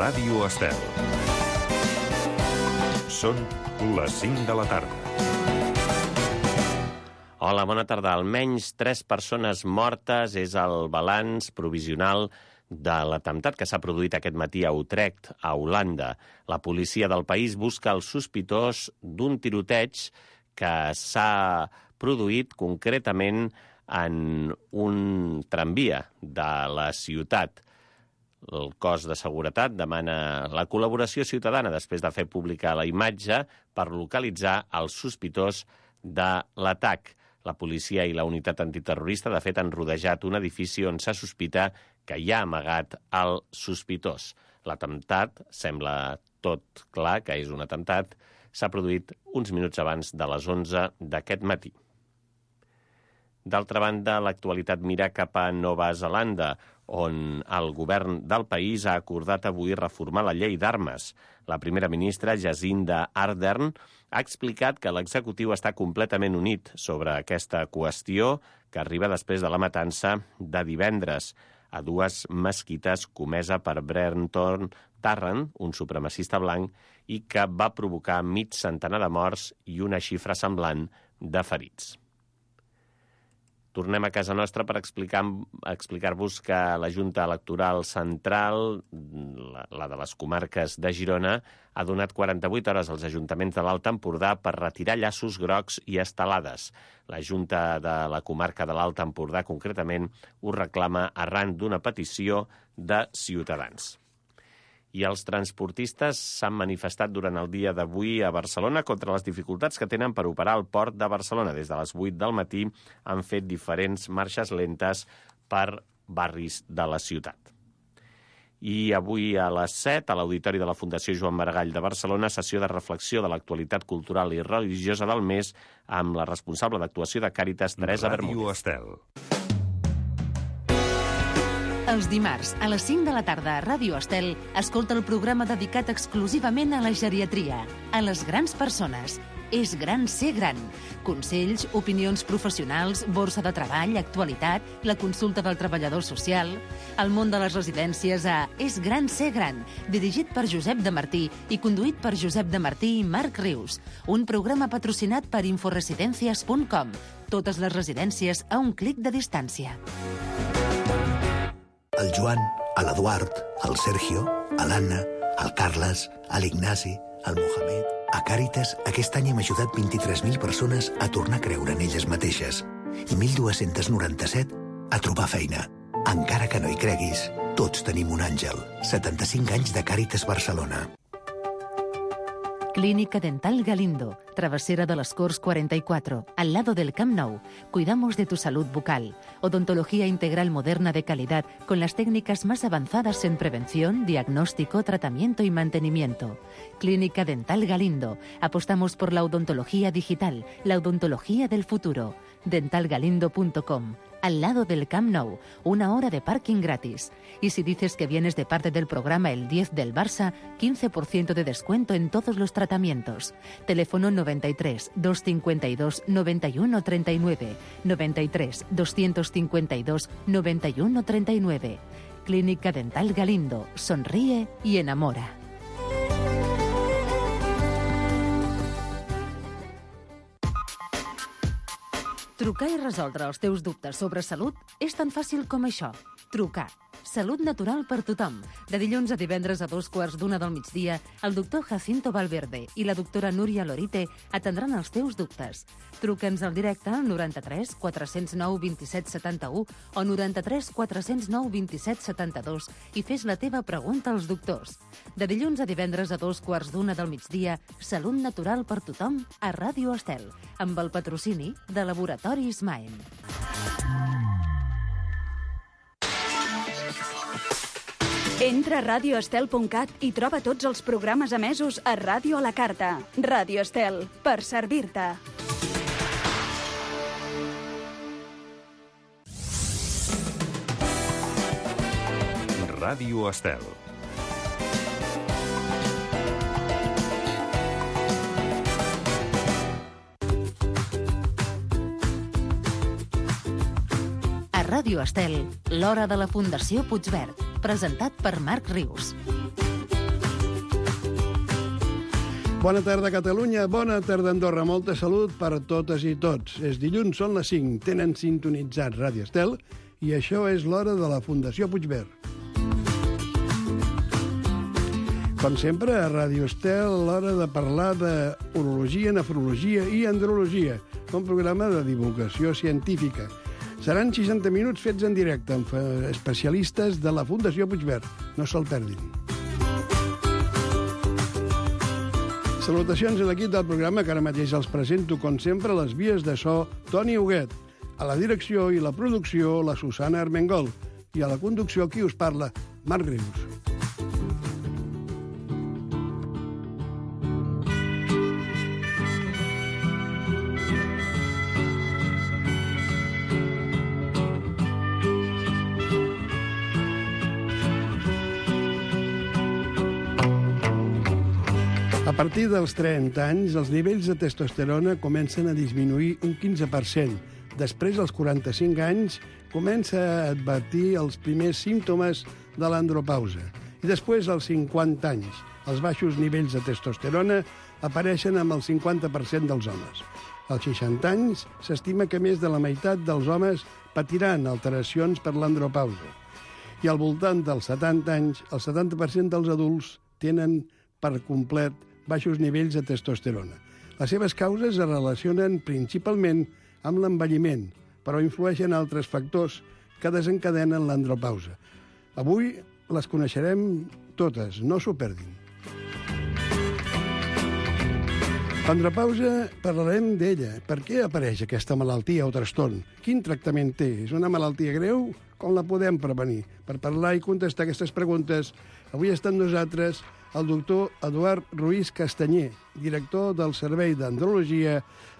Ràdio Estel. Són les 5 de la tarda. Hola, bona tarda. Almenys 3 persones mortes és el balanç provisional de l'atemptat que s'ha produït aquest matí a Utrecht, a Holanda. La policia del país busca el sospitós d'un tiroteig que s'ha produït concretament en un tramvia de la ciutat. El cos de seguretat demana la col·laboració ciutadana després de fer pública la imatge per localitzar el sospitós de l'atac. La policia i la unitat antiterrorista, de fet, han rodejat un edifici on se sospita que hi ha amagat el sospitós. L'atemptat, sembla tot clar que és un atemptat, s'ha produït uns minuts abans de les 11 d'aquest matí. D'altra banda, l'actualitat mira cap a Nova Zelanda, on el govern del país ha acordat avui reformar la llei d'armes. La primera ministra, Jacinda Ardern, ha explicat que l'executiu està completament unit sobre aquesta qüestió que arriba després de la matança de divendres a 2 mesquites comesa per Brenton Tarrant, un supremacista blanc, i que va provocar mig centenar de morts i una xifra semblant de ferits. Tornem a casa nostra per explicar-vos que la Junta Electoral Central, la de les comarques de Girona, ha donat 48 hores als ajuntaments de l'Alt Empordà per retirar llaços grocs i estelades. La Junta de la comarca de l'Alt Empordà, concretament, ho reclama arran d'una petició de Ciutadans. I els transportistes s'han manifestat durant el dia d'avui a Barcelona contra les dificultats que tenen per operar el port de Barcelona. Des de les 8 del matí han fet diferents marxes lentes per barris de la ciutat. I avui a les 7, a l'Auditori de la Fundació Joan Maragall de Barcelona, sessió de reflexió de l'actualitat cultural i religiosa del mes amb la responsable d'actuació de Càritas, Teresa Bermúdez. Ràdio Estel. Els dimarts, a les 5 de la tarda a Ràdio Estel, escolta el programa dedicat exclusivament a la geriatria, a les grans persones. És gran ser gran. Consells, opinions professionals, borsa de treball, actualitat, la consulta del treballador social, el món de les residències a És gran ser gran, dirigit per Josep de Martí i conduït per Josep de Martí i Marc Rius. Un programa patrocinat per inforesidencias.com. Totes les residències a un clic de distància. El Joan, l'Eduard, el Sergio, l'Anna, el Carles, l'Ignasi, el Mohamed... A Càritas, aquest any hem ajudat 23.000 persones a tornar a creure en elles mateixes i 1.297 a trobar feina. Encara que no hi creguis, tots tenim un àngel. 75 anys de Càritas Barcelona. Clínica Dental Galindo, Travesera de las Corts 44, al lado del Camp Nou. Cuidamos de tu salud bucal. Odontología integral moderna de calidad con las técnicas más avanzadas en prevención, diagnóstico, tratamiento y mantenimiento. Clínica Dental Galindo. Apostamos por la odontología digital, la odontología del futuro. dentalgalindo.com. Al lado del Camp Nou, 1 hora de parking gratis. Y si dices que vienes de parte del programa El 10 del Barça, 15% de descuento en todos los tratamientos. Teléfono 93 252 91 39, 93 252 91 39. Clínica Dental Galindo. Sonríe y enamora. Trucar i resoldre els teus dubtes sobre salut és tan fàcil com això. Trucar. Salut natural per tothom. De dilluns a divendres a 2:15 del migdia, el doctor Jacinto Valverde i la doctora Núria Lorite atendran els teus dubtes. Truca'ns al directe al 93 409 27 71 o 93 409 27 72 i fes la teva pregunta als doctors. De dilluns a divendres a 2:15 del migdia, Salut natural per tothom a Ràdio Estel, amb el patrocini de Laboratoris Maen. Entra a radioestel.cat i troba tots els programes emesos a Ràdio a la Carta. Ràdio Estel, per servir-te. Ràdio Estel. A Ràdio Estel, l'hora de la Fundació Puigverd, presentat per Marc Rius. Bona tarda, Catalunya. Bona tarda, Andorra. Molta salut per a totes i tots. És dilluns, són les 5. Tenen sintonitzat Ràdio Estel i això és l'hora de la Fundació Puigverd. Com sempre, a Ràdio Estel, l'hora de parlar d'urologia, nefrologia i andrologia, un programa de divulgació científica. Seran 60 minuts fets en directe amb especialistes de la Fundació Puigverd. No se'l perdin. Salutacions a l'equip del programa, que ara mateix els presento, com sempre, les vies de so Toni Huguet. A la direcció i la producció, la Susana Armengol. I a la conducció, qui us parla, Marc Rius. A partir dels 30 anys, els nivells de testosterona comencen a disminuir un 15%. Després, als 45 anys, comença a advertir els primers símptomes de l'andropausa. I després, als 50 anys, els baixos nivells de testosterona apareixen amb el 50% dels homes. Als 60 anys, s'estima que més de la meitat dels homes patiran alteracions per l'andropausa. I al voltant dels 70 anys, el 70% dels adults tenen per complet baixos nivells de testosterona. Les seves causes es relacionen principalment amb l'envelliment, però influeixen altres factors que desencadenen l'andropausa. Avui les coneixerem totes, no s'ho perdin. L'andropausa, parlarem d'ella. Per què apareix aquesta malaltia o trastorn? Quin tractament té? És una malaltia greu? Com la podem prevenir? Per parlar i contestar aquestes preguntes, avui està amb nosaltres el doctor Eduard Ruiz Castanyer, director del Servei d'Andrologia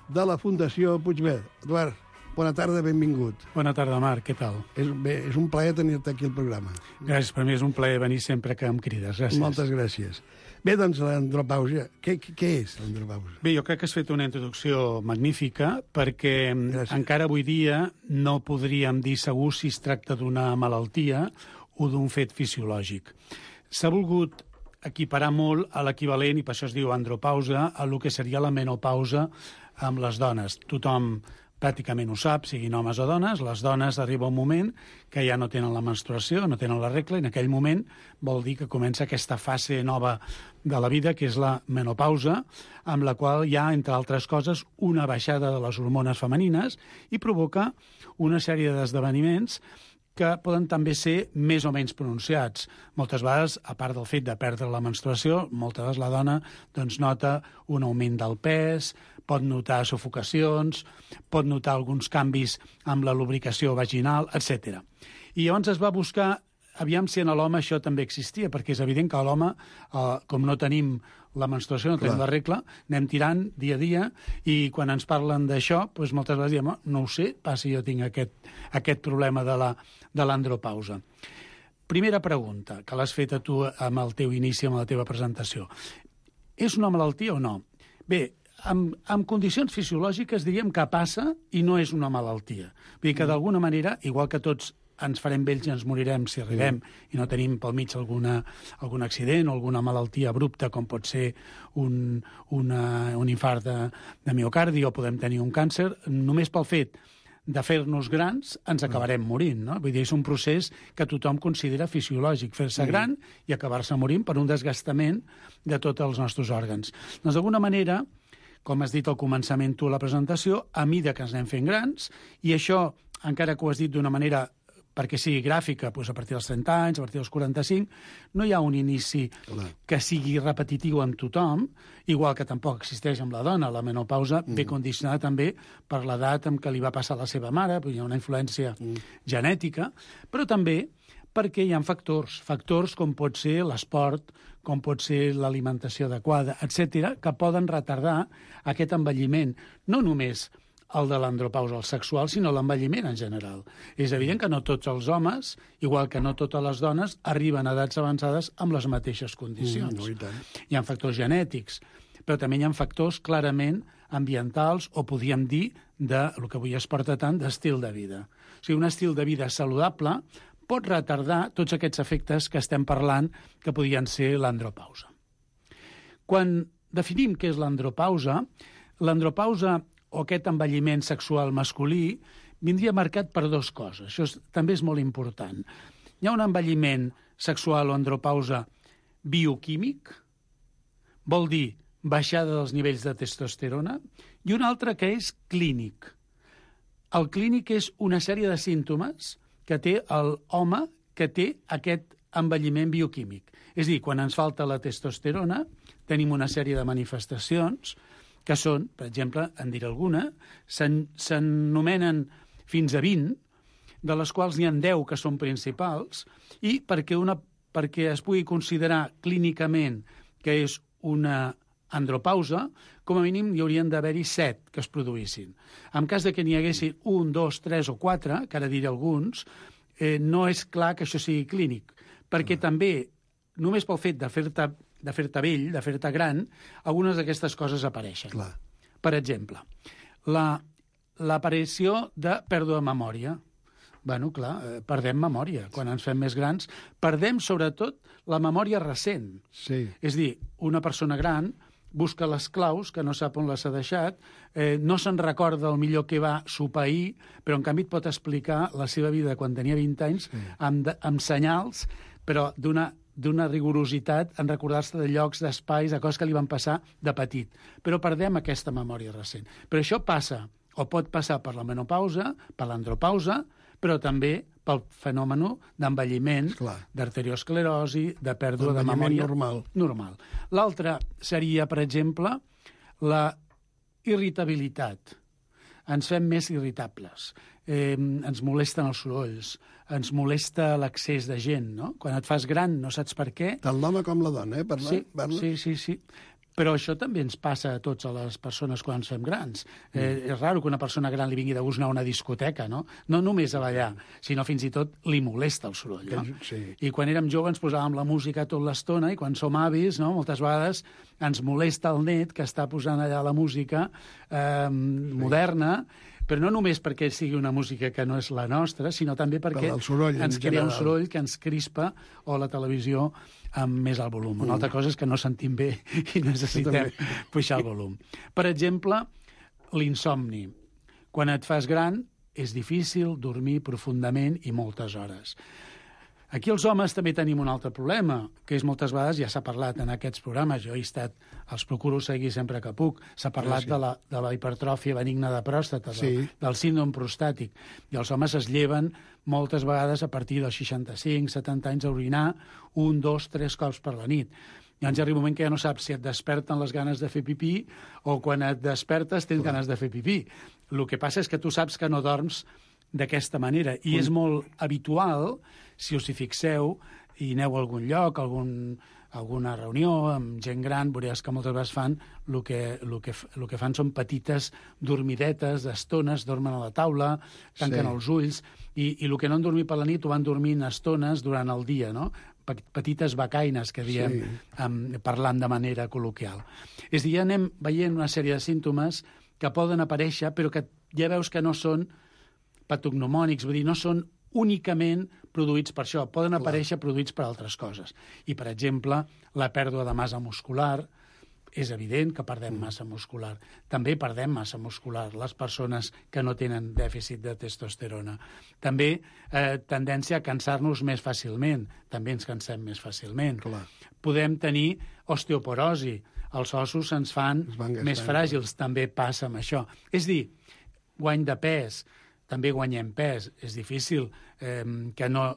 de la Fundació Puigverd. Eduard, bona tarda, benvingut. Bona tarda, Marc, què tal? És un plaer tenir-te aquí al programa. Gràcies, per mi és un plaer venir sempre que em crides, gràcies. Moltes gràcies. Bé, doncs, l'andropausa. Què és l'andropausa? Bé, jo crec que has fet una introducció magnífica perquè encara avui dia no podríem dir segur si es tracta d'una malaltia o d'un fet fisiològic. S'ha volgut equiparar molt a l'equivalent, i per això es diu andropausa, a el que seria la menopausa amb les dones. Tothom pràcticament ho sap, siguin homes o dones, les dones arriba un moment que ja no tenen la menstruació, no tenen la regla, i en aquell moment vol dir que comença aquesta fase nova de la vida, que és la menopausa, amb la qual hi ha, entre altres coses, una baixada de les hormones femenines i provoca una sèrie d'esdeveniments que poden també ser més o menys pronunciats. Moltes vegades, a part del fet de perdre la menstruació, moltes vegades la dona nota un augment del pes, pot notar sufocacions, pot notar alguns canvis amb la lubricació vaginal, etc. I llavors es va buscar, aviam si en l'home això també existia, perquè és evident que a l'home, com no tenim la menstruació, no tenim la regla, anem tirant dia a dia, i quan ens parlen d'això, doncs moltes vegades diem, no ho sé, pas si jo tinc aquest problema de l'andropausa. Primera pregunta, que l'has fet a tu amb el teu inici, amb la teva presentació. És una malaltia o no? Bé, en condicions fisiològiques diríem que passa i no és una malaltia. Vull dir que d'alguna manera, igual que tots ens farem vells i ens morirem si arribem i no tenim pel mig algun accident o alguna malaltia abrupta, com pot ser un infart de miocardi o podem tenir un càncer, només pel fet de fer-nos grans ens acabarem morint, no? Vull dir, és un procés que tothom considera fisiològic, fer-se gran i acabar-se morint per un desgastament de tots els nostres òrgans. Doncs d'alguna manera, com has dit al començament tu a la presentació, a mida que ens anem fent grans, i això, encara que ho has dit d'una manera perquè sigui gràfica, doncs a partir dels 30 anys, a partir dels 45, no hi ha un inici que sigui repetitiu en tothom, igual que tampoc existeix amb la dona. La menopausa ve condicionada també per l'edat amb què li va passar a la seva mare, hi ha una influència genètica, però també perquè hi ha factors com pot ser l'esport, com pot ser l'alimentació adequada, etc., que poden retardar aquest envelliment, no només el de l'andropausa, el sexual, sinó l'envelliment en general. És evident que no tots els homes, igual que no totes les dones, arriben a edats avançades amb les mateixes condicions. No, i tant. Hi ha factors genètics, però també hi ha factors clarament ambientals o podríem dir el que avui es porta tant d'estil de vida. O sigui, un estil de vida saludable pot retardar tots aquests efectes que estem parlant que podrien ser l'andropausa. Quan definim què és l'andropausa, l'andropausa o aquest envelliment sexual masculí vindria marcat per dues coses. Això també és molt important. Hi ha un envelliment sexual o andropausa bioquímic, vol dir baixada dels nivells de testosterona, i un altre que és clínic. El clínic és una sèrie de símptomes que té l'home que té aquest envelliment bioquímic. És a dir, quan ens falta la testosterona, tenim una sèrie de manifestacions que són, per exemple, en diré alguna, s'anomenen fins a 20, de les quals n'hi ha 10 que són principals, i perquè es pugui considerar clínicament que és una andropausa, com a mínim hi haurien d'haver-hi 7 que es produïssin. En cas de que n'hi haguessin 1, 2, 3 o 4, que ara diré alguns, no és clar que això sigui clínic, perquè també, només pel fet de fer-te vell, de fer-te gran, algunes d'aquestes coses apareixen. Clar. Per exemple, l'aparició de pèrdua de memòria. Bueno, clar, perdem memòria. Quan ens fem més grans, perdem sobretot la memòria recent. Sí. És a dir, una persona gran busca les claus, que no sap on les ha deixat, no se'n recorda el millor que va sopar ahir, però en canvi et pot explicar la seva vida quan tenia 20 anys amb senyals, però d'una rigorositat en recordar-se de llocs, d'espais, de coses que li van passar de petit. Però perdem aquesta memòria recent. Però això passa, o pot passar per la menopausa, per l'andropausa, però també pel fenomen d'envelliment, d'arteriosclerosi, de pèrdua de memòria normal. L'altre seria, per exemple, la irritabilitat. Ens fem més irritables, ens molesten els sorolls, ens molesta l'accés de gent, no? Quan et fas gran no saps per què. Tant l'home com la dona, Sí. Però això també ens passa a tots a les persones quan ens fem grans. És raro que una persona gran li vingui de gust anar a una discoteca, no? No només a ballar, sinó fins i tot li molesta el soroll, no? Sí. I quan érem joves ens posàvem la música tota l'estona i quan som avis, no, moltes vegades ens molesta el net que està posant allà la música moderna, però no només perquè sigui una música que no és la nostra, sinó també perquè ens crea un soroll que ens crispa, o la televisió amb més alt volum. Una altra cosa és que no sentim bé i necessitem pujar el volum. Per exemple, l'insomni. Quan et fas gran és difícil dormir profundament i moltes hores. Aquí els homes també tenim un altre problema, que és moltes vegades, ja s'ha parlat en aquests programes, jo he estat, els procuro seguir sempre que puc, s'ha parlat de la hipertròfia benigna de pròstata, del síndrome prostàtic, i els homes es lleven moltes vegades a partir dels 65-70 anys a orinar 1, 2, 3 cops per la nit. Llavors arriba un moment que ja no saps si et desperten les ganes de fer pipí o quan et despertes tens ganes de fer pipí. El que passa és que tu saps que no dorms d'aquesta manera, i és molt habitual, si us hi fixeu i aneu a algun lloc, alguna reunió amb gent gran, veuràs que moltes vegades fan el que fan són petites dormidetes d'estones, dormen a la taula, tanquen els ulls, i el que no han dormit per la nit ho van dormint estones durant el dia, no? Petites becaines, que diem, parlant de manera col·loquial. És a dir, ja anem veient una sèrie de símptomes que poden aparèixer, però que ja veus que no són patognomònics, vull dir, no són únicament produïts per això, poden aparèixer produïts per altres coses. I, per exemple, la pèrdua de massa muscular, és evident que perdem massa muscular. També perdem massa muscular les persones que no tenen dèficit de testosterona. També tendència a cansar-nos més fàcilment, també ens cansem més fàcilment. Podem tenir osteoporosi, els ossos se'ns fan més fràgils, també passa amb això. És dir, guany de pes, també guanyem pes. És difícil que no,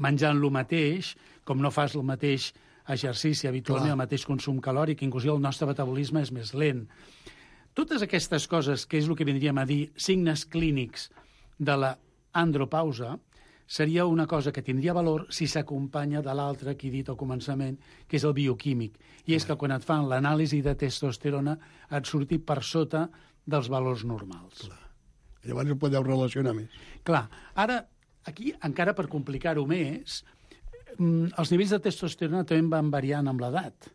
menjant el mateix, com no fas el mateix exercici habitualment, el mateix consum calòric, inclús el nostre metabolisme és més lent. Totes aquestes coses, que és el que vindríem a dir signes clínics de l'andropausa, seria una cosa que tindria valor si s'acompanya de l'altre que he dit al començament, que és el bioquímic. I és que quan et fan l'anàlisi de testosterona et surti per sota dels valors normals. Llavors ho podeu relacionar més. Clar, ara, aquí, encara per complicar-ho més, els nivells de testosterona també van variant amb l'edat,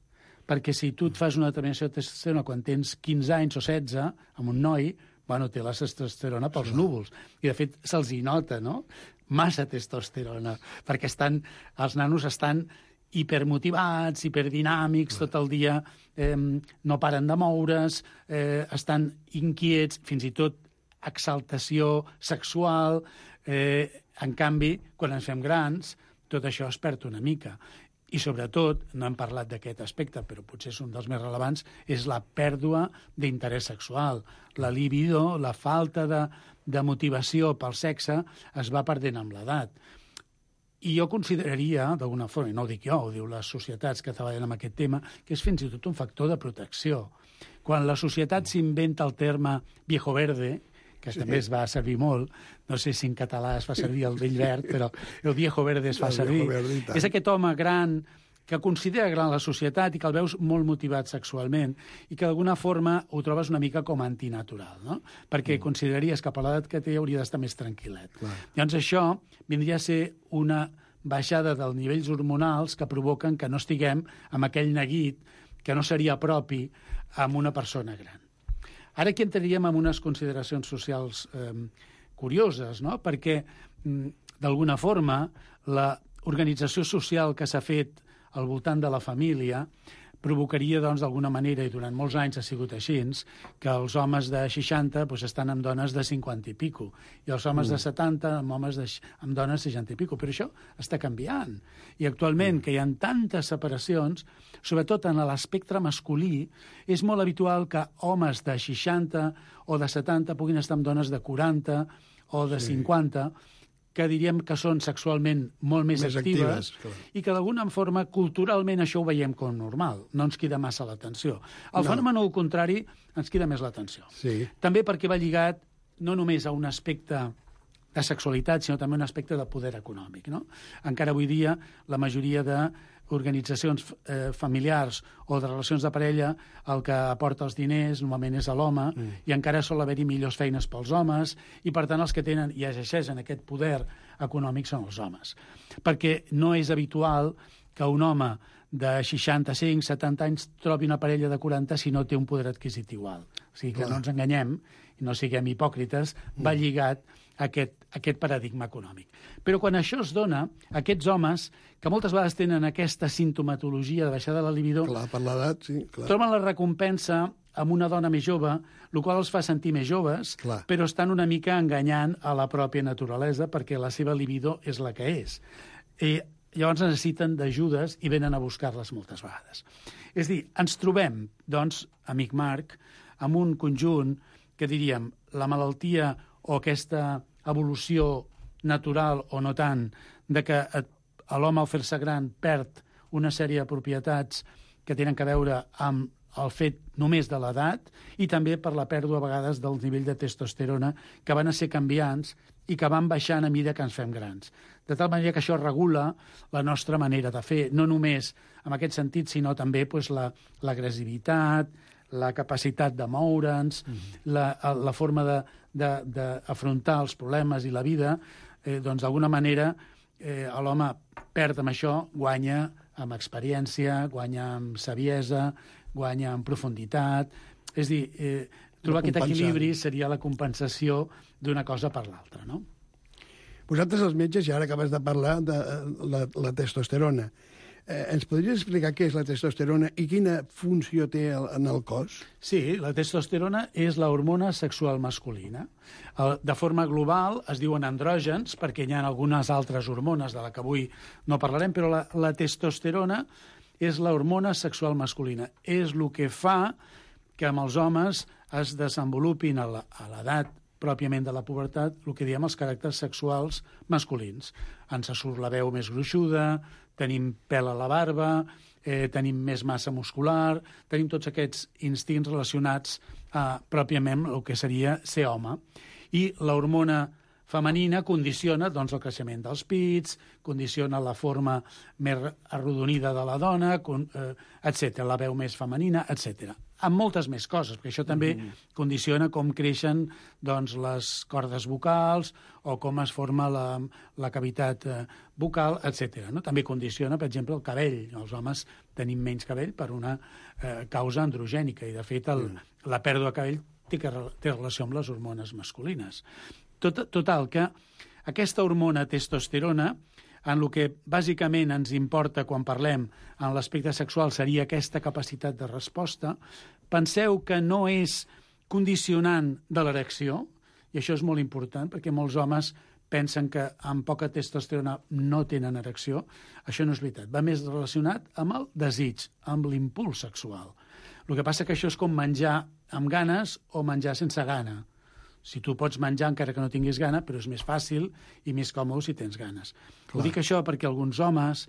perquè si tu et fas una determinació de testosterona quan tens 15 anys o 16, amb un noi, bueno, té la testosterona pels núvols. I, de fet, se'ls hi nota, no?, massa testosterona, perquè els nanos estan hipermotivats, hiperdinàmics, tot el dia no paren de moure's, estan inquiets, fins i tot exaltació sexual. En canvi, quan ens fem grans, tot això es perd una mica. I, sobretot, no hem parlat d'aquest aspecte, però potser és un dels més rellevants, és la pèrdua d'interès sexual. La libido, la falta de motivació pel sexe, es va perdent amb l'edat. I jo consideraria, d'alguna forma, i no ho dic jo, ho diu les societats que treballen amb aquest tema, que és fins i tot un factor de protecció. Quan la societat s'inventa el terme viejo verde, que també es va servir molt, no sé si en català es fa servir el vell verd, però el viejo verde es fa servir. És aquest home gran que considera gran la societat i que el veus molt motivat sexualment i que d'alguna forma ho trobes una mica com antinatural, no? Perquè consideraries que per l'edat que té hauria d'estar més tranquil·let. Llavors això vindria a ser una baixada dels nivells hormonals que provoquen que no estiguem amb aquell neguit que no seria propi amb una persona gran. Ara aquí entraríem en unes consideracions socials curioses, no? Perquè, d'alguna forma, l'organització social que s'ha fet al voltant de la família provocaria, doncs, d'alguna manera, i durant molts anys ha sigut així, que els homes de 60 estan amb dones de 50 i pico, i els homes de 70 amb dones de 60 i pico. Però això està canviant. I actualment, que hi ha tantes separacions, sobretot en l'espectre masculí, és molt habitual que homes de 60 o de 70 puguin estar amb dones de 40 o de 50, que diríem que són sexualment molt més actives i que d'alguna forma culturalment això ho veiem com normal, no ens crida massa l'atenció. El fenomen al contrari ens crida més l'atenció. També perquè va lligat no només a un aspecte de sexualitat, sinó també un aspecte de poder econòmic, no? Encara avui dia la majoria d'organitzacions familiars o de relacions de parella el que aporta els diners normalment és a l'home i encara sol haver-hi millors feines pels homes i per tant els que tenen i exerceixen aquest poder econòmic són els homes. Perquè no és habitual que un home de 65, 70 anys trobi una parella de 40 si no té un poder adquisitiu alt. O sigui que no ens enganyem i no siguem hipòcrites, va lligat aquest paradigma econòmic. Però quan això es dona, aquests homes, que moltes vegades tenen aquesta sintomatologia de baixada de la libido, per l'edat, sí, troben la recompensa amb una dona més jove, el qual els fa sentir més joves, però estan una mica enganyant a la pròpia naturalesa perquè la seva libido és la que és. I llavors necessiten d'ajudes i venen a buscar-les moltes vegades. És a dir, ens trobem, doncs, amic Marc, amb un conjunt que diríem la malaltia o aquesta evolució natural o no tant, de que l'home al fer-se gran perd una sèrie de propietats que tenen a veure amb el fet només de l'edat i també per la pèrdua a vegades del nivell de testosterona que van a ser canviants i que van baixant a mesura que ens fem grans. De tal manera que això regula la nostra manera de fer, no només en aquest sentit, sinó també l'agressivitat, la capacitat de moure'ns, la forma d'afrontar els problemes i la vida, doncs d'alguna manera l'home perd amb això, guanya amb experiència, guanya amb saviesa, guanya amb profunditat. És a dir, trobar aquest equilibri seria la compensació d'una cosa per l'altra, no? Vosaltres, els metges, ja ara acabes de parlar de la testosterona. Ens podries explicar què és la testosterona i quina funció té en el cos? Sí, la testosterona és l'hormona sexual masculina. De forma global es diuen andrògens, perquè hi ha algunes altres hormones de la que avui no parlarem, però la testosterona és l'hormona sexual masculina. És el que fa que amb els homes es desenvolupin a l'edat pròpiament de la pubertat, el que diem els caràcters sexuals masculins. Ens surt la veu més gruixuda, tenim pèl a la barba, tenim més massa muscular, tenim tots aquests instints relacionats pròpiament amb el que seria ser home. I l'hormona femenina condiciona doncs, el creixement dels pits, condiciona la forma més arrodonida de la dona, etc., la veu més femenina, etc. Amb moltes més coses, perquè això també condiciona com creixen doncs, les cordes vocals o com es forma la cavitat bucal, etc. No? També condiciona, per exemple, el cabell. Els homes tenim menys cabell per una causa androgènica i, de fet, la pèrdua de cabell té relació amb les hormones masculines. Total, que aquesta hormona testosterona en el que bàsicament ens importa quan parlem en l'aspecte sexual seria aquesta capacitat de resposta, penseu que no és condicionant de l'erecció, i això és molt important, perquè molts homes pensen que amb poca testosterona no tenen erecció. Això no és veritat. Va més relacionat amb el desig, amb l'impuls sexual. El que passa que això és com menjar amb ganes o menjar sense gana. Si tu pots menjar encara que no tinguis gana, però és més fàcil i més còmode si tens ganes. Ho dic això perquè alguns homes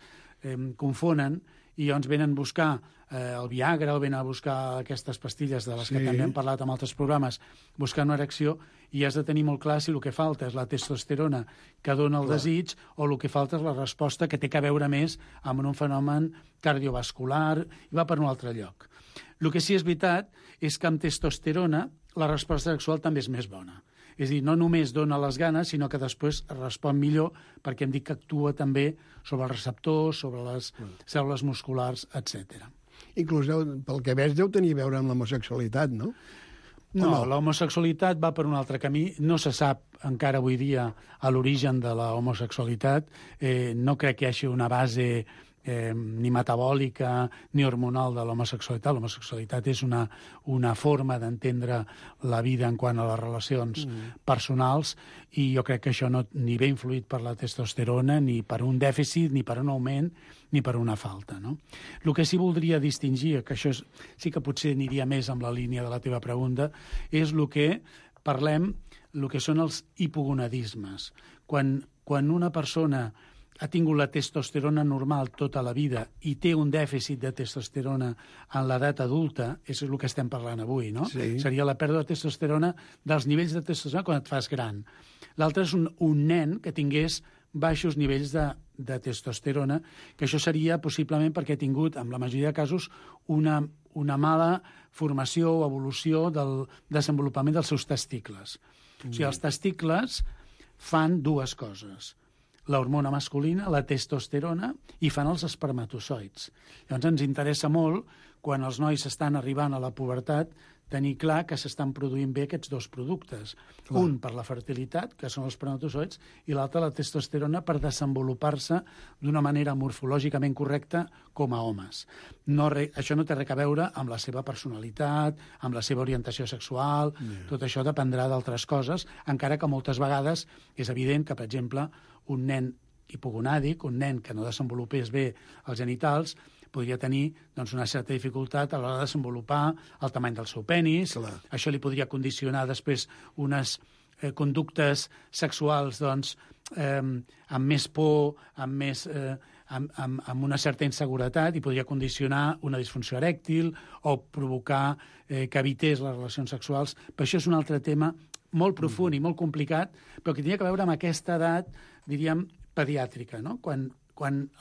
confonen i llavors venen a buscar el Viagra o venen a buscar aquestes pastilles de les que també hem parlat en altres programes, buscant una erecció, i has de tenir molt clar si el que falta és la testosterona que dona el desig o el que falta és la resposta que té a veure més amb un fenomen cardiovascular i va per un altre lloc. El que sí és veritat és que amb testosterona la resposta sexual també és més bona. És a dir, no només dona les ganes, sinó que després respon millor perquè hem dit que actua també sobre els receptors, sobre les cèl·lules musculars, etc. Inclús, pel que veig, deu tenir a veure amb l'homosexualitat, no? No, l'homosexualitat va per un altre camí. No se sap encara avui dia a l'origen de l'homosexualitat. No crec que hi hagi una base ni metabòlica ni hormonal de l'homosexualitat. L'homosexualitat és una forma d'entendre la vida en quant a les relacions personals, i jo crec que això no ni ve influït per la testosterona, ni per un dèficit, ni per un augment, ni per una falta, no? El que sí voldria distingir, que això sí que potser aniria més amb la línia de la teva pregunta, és el que parlem, el que són els hipogonadismes. Quan una persona ha tingut la testosterona normal tota la vida i té un dèficit de testosterona en l'edat adulta, és el que estem parlant avui, no? Sí. Seria la pèrdua de testosterona, dels nivells de testosterona quan et fas gran. L'altre és un nen que tingués baixos nivells de testosterona, que això seria possiblement perquè ha tingut, en la majoria de casos, una mala formació o evolució del desenvolupament dels seus testicles. O sigui, els testicles fan dues coses: l'hormona masculina, la testosterona, i fan els espermatozoids. Llavors ens interessa molt, quan els nois estan arribant a la pubertat, tenir clar que s'estan produint bé aquests dos productes. Un per la fertilitat, que són els espermatozoids, i l'altre la testosterona per desenvolupar-se d'una manera morfològicament correcta com a homes. Això no té res a veure amb la seva personalitat, amb la seva orientació sexual, tot això dependrà d'altres coses, encara que moltes vegades és evident que, per exemple, un nen hipogonàdic, un nen que no desenvolupés bé els genitals, podria tenir una certa dificultat a l'hora de desenvolupar el tamany del seu penis. Clar. Això li podria condicionar després unes conductes sexuals amb més por, amb una certa inseguretat, i podria condicionar una disfunció erèctil o provocar que evités les relacions sexuals. Però això és un altre tema molt profund i molt complicat, però que tenia a veure amb aquesta edat, diríem, pediàtrica, no? Quan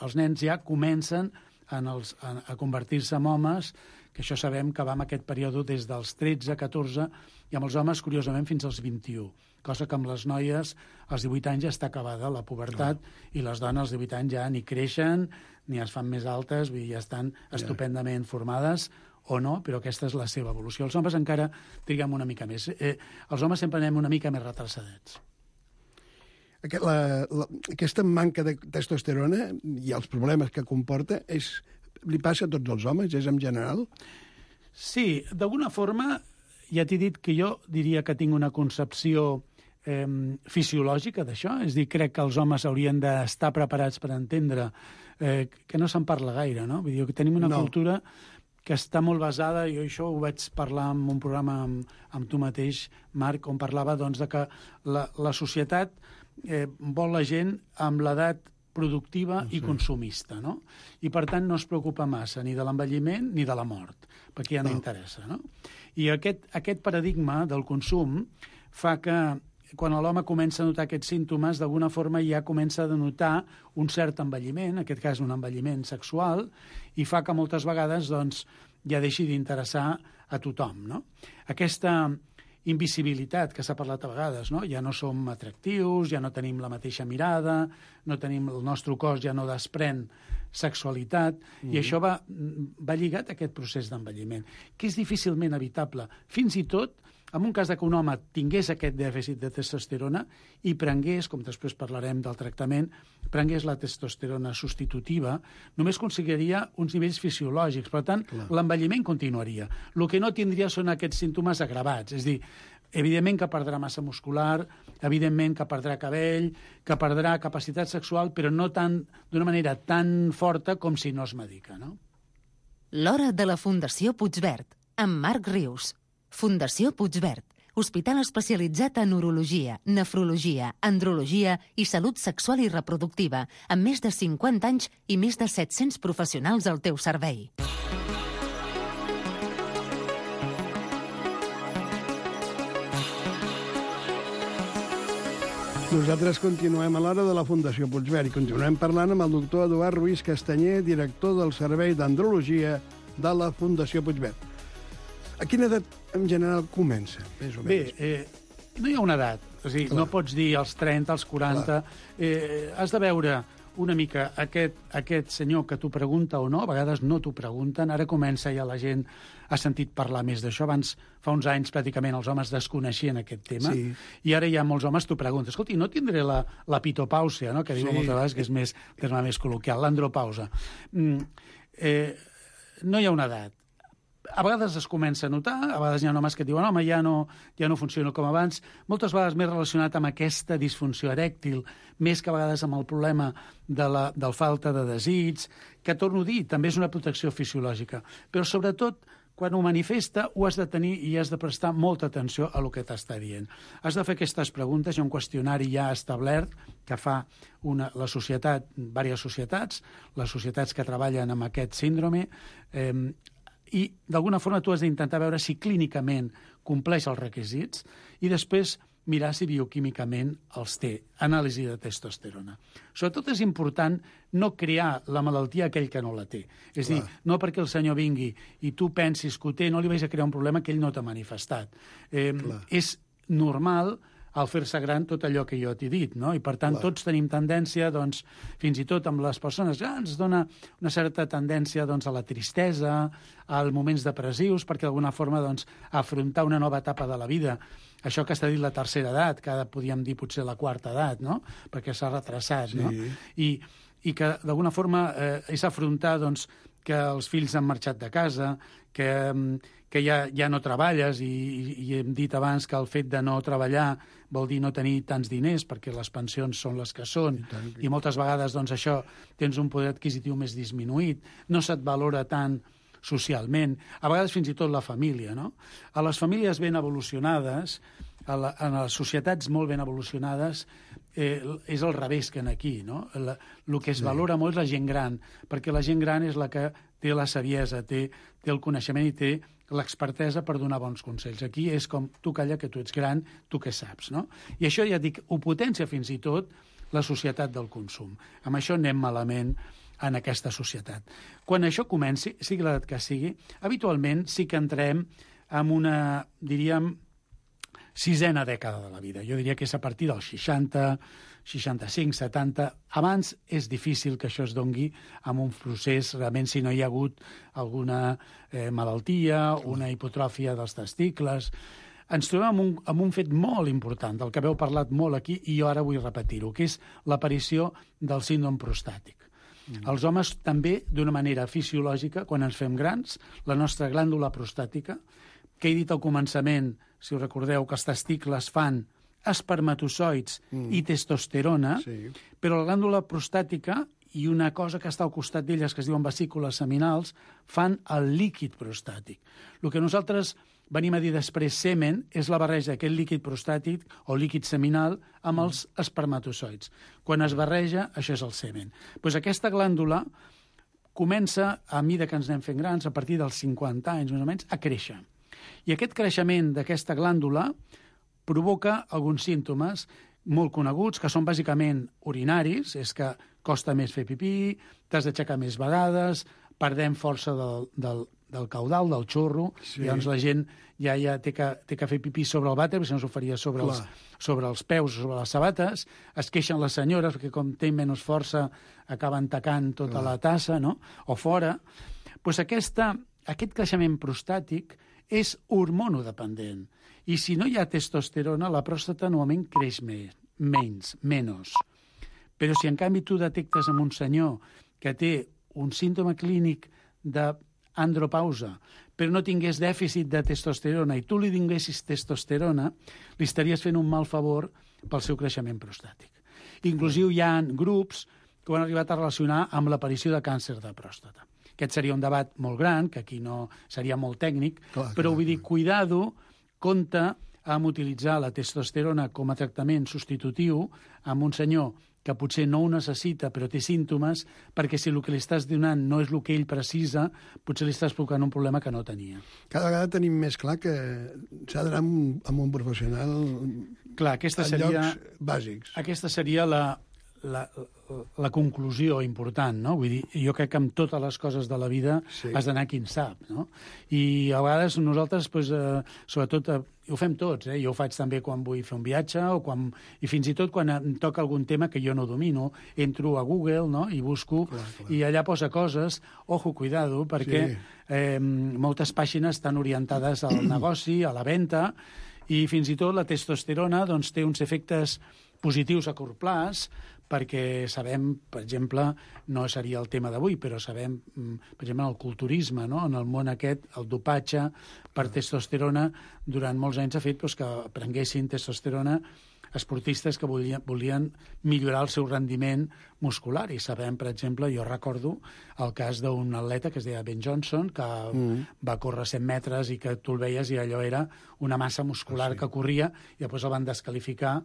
els nens ja comencen a convertir-se en homes, que això sabem que va en aquest període des dels 13, 14, i amb els homes, curiosament, fins als 21. Cosa que amb les noies, als 18 anys ja està acabada la pubertat, i les dones als 18 anys ja ni creixen, ni es fan més altes, vull dir, ja estan estupendament formades, o no, però aquesta és la seva evolució. Els homes encara triguem una mica més. Els homes sempre anem una mica més retrocedets. Aquesta manca de testosterona i els problemes que comporta li passa a tots els homes, és en general? Sí, d'alguna forma, ja t'he dit que jo diria que tinc una concepció fisiològica d'això, és a dir, crec que els homes haurien d'estar preparats per entendre que no se'n parla gaire, no? Vull dir, que tenim una cultura que està molt basada, jo això ho vaig parlar en un programa amb tu mateix, Marc, on parlava de que la societat vol la gent amb l'edat productiva i consumista, no? I, per tant, no es preocupa massa ni de l'envelliment ni de la mort, perquè ja no interessa, no? I aquest paradigma del consum fa que quan l'home comença a notar aquests símptomes, d'alguna forma ja comença a denotar un cert envelliment, en aquest cas un envelliment sexual, i fa que moltes vegades ja deixi d'interessar a tothom, no? Aquesta invisibilitat que s'ha parlat a vegades, no? Ja no som atractius, ja no tenim la mateixa mirada, el nostre cos ja no desprèn sexualitat, i això va lligat a aquest procés d'envelliment, que és difícilment evitable. Fins i tot en un cas que un home tingués aquest dèficit de testosterona i prengués, com després parlarem del tractament, prengués la testosterona substitutiva, només aconseguiria uns nivells fisiològics. Per tant, l'envelliment continuaria. El que no tindria són aquests símptomes agravats. És a dir, evidentment que perdrà massa muscular, evidentment que perdrà cabell, que perdrà capacitat sexual, però no d'una manera tan forta com si no es medica, no? L'hora de la Fundació Puigverd, amb Marc Rius. Fundació Puigverd, hospital especialitzat en urologia, nefrologia, andrologia i salut sexual i reproductiva, amb més de 50 anys i més de 700 professionals al teu servei. Nosaltres continuem a l'hora de la Fundació Puigverd i continuem parlant amb el doctor Eduard Ruiz Castanyer, director del Servei d'Andrologia de la Fundació Puigverd. A quina edat, en general, comença? Bé, no hi ha una edat. És a dir, no pots dir als 30, als 40... Has de veure una mica aquest senyor que t'ho pregunta o no, a vegades no t'ho pregunten, ara comença ja la gent ha sentit parlar més d'això. Abans, fa uns anys, pràcticament els homes desconeixien aquest tema, i ara ja molts homes t'ho pregunten. Escolti, no tindré la pitopàusia, no? Que diuen moltes vegades que és més terme més col·loquial, l'andropausa. No hi ha una edat. A vegades es comença a notar, a vegades hi ha homes que diuen home, ja no funciona com abans, moltes vegades més relacionat amb aquesta disfunció erèctil, més que a vegades amb el problema del falta de desig, que, torno a dir, també és una protecció fisiològica. Però, sobretot, quan ho manifesta, ho has de tenir i has de prestar molta atenció a el que t'està dient. Has de fer aquestes preguntes, hi ha un qüestionari ja establert que fa la societat, diverses societats, les societats que treballen amb aquest síndrome, i d'alguna forma tu has d'intentar veure si clínicament compleix els requisits i després mirar si bioquímicament els té. Anàlisi de testosterona. Sobretot és important no crear la malaltia a aquell que no la té. És a dir, no perquè el senyor vingui i tu pensis que ho té, no li vais a crear un problema que ell no t'ha manifestat. És normal al fer-se gran tot allò que jo t'he dit, no? I, per tant, tots tenim tendència, doncs, fins i tot amb les persones grans, dona una certa tendència doncs, a la tristesa, als moments depressius, perquè d'alguna forma doncs, afrontar una nova etapa de la vida, això que està dit la tercera edat, que ara podríem dir potser la quarta edat, no? Perquè s'ha retrasat, no? I que d'alguna forma és afrontar doncs, que els fills han marxat de casa, que ja no treballes i hem dit abans que el fet de no treballar vol dir no tenir tants diners perquè les pensions són les que són i moltes vegades doncs, això tens un poder adquisitiu més disminuït, no se't valora tant socialment, a vegades fins i tot la família, no? A les famílies ben evolucionades, en les societats molt ben evolucionades, és al revés que aquí, no? El que es valora molt és la gent gran, perquè la gent gran és la que té la saviesa, té el coneixement i té l'expertesa per donar bons consells. Aquí és com, tu calla que tu ets gran, tu què saps, no? I això, ja dic, ho potencia fins i tot la societat del consum. Amb això anem malament en aquesta societat. Quan això comenci, sigui l'edat que sigui, habitualment sí que entrem en una, diríem, sisena dècada de la vida. Jo diria que és a partir dels 60, 65, 70. Abans és difícil que això es dongui amb un procés, realment, si no hi ha hagut alguna malaltia, una hipotròfia dels testicles. Ens trobem amb un fet molt important, del que haveu parlat molt aquí, i jo ara vull repetir-ho, que és l'aparició del síndrome prostàtic. Els homes també, d'una manera fisiològica, quan ens fem grans, la nostra glàndula prostàtica, que he dit al començament, si us recordeu, que els testicles fan espermatozoids i testosterona, però la glàndula prostàtica i una cosa que està al costat d'elles, que es diuen vesícules seminals, fan el líquid prostàtic. El que nosaltres venim a dir després semen és la barreja d'aquest líquid prostàtic o líquid seminal amb els espermatozoids. Quan es barreja, això és el semen. Doncs aquesta glàndula comença, a mida que ens anem fent grans, a partir dels 50 anys més o menys, a créixer. I aquest creixement d'aquesta glàndula provoca alguns símptomes molt coneguts, que són bàsicament urinaris, és que costa més fer pipí, t'has d'aixecar més vegades, perdem força del caudal, del xorro, i llavors la gent ja té que fer pipí sobre el vàter, perquè si no s'ho faria sobre els peus o sobre les sabates, es queixen les senyores, perquè com tenen menys força acaben tacant tota la tassa, no? O fora. Doncs aquest creixement prostàtic és hormonodependent. I si no hi ha testosterona, la pròstata normalment creix menys. Però si en canvi tu detectes en un senyor que té un símptoma clínic d'andropausa, però no tingués dèficit de testosterona i tu li donessis testosterona, li estaries fent un mal favor pel seu creixement prostàtic. Inclusive hi ha grups que ho han arribat a relacionar amb l'aparició de càncer de pròstata. Aquest seria un debat molt gran, que aquí no seria molt tècnic, però vull dir, cuidado, compte amb utilitzar la testosterona com a tractament substitutiu amb un senyor que potser no ho necessita però té símptomes, perquè si el que li estàs donant no és el que ell precisa, potser li estàs provocant un problema que no tenia. Cada vegada tenim més clar que s'ha d'anar amb un professional en llocs bàsics. Aquesta seria la conclusió important, no? Vull dir, jo crec que amb totes les coses de la vida has d'anar qui en sap, no? I a vegades nosaltres, sobretot, ho fem tots, jo ho faig també quan vull fer un viatge i fins i tot quan em toca algun tema que jo no domino, entro a Google, no? I busco, i allà posa coses, ojo, cuidado, perquè moltes pàgines estan orientades al negoci, a la venda, i fins i tot la testosterona doncs, té uns efectes positius a curt plaç, perquè sabem, per exemple, no seria el tema d'avui, però sabem, per exemple, el culturisme, no? En el món aquest, el dopatge per testosterona, durant molts anys ha fet que prenguessin testosterona esportistes que volien millorar el seu rendiment muscular. I sabem, per exemple, jo recordo el cas d'un atleta que es deia Ben Johnson, que va córrer 100 metres i que tu el veies i allò era una massa muscular que corria, i després el van descalificar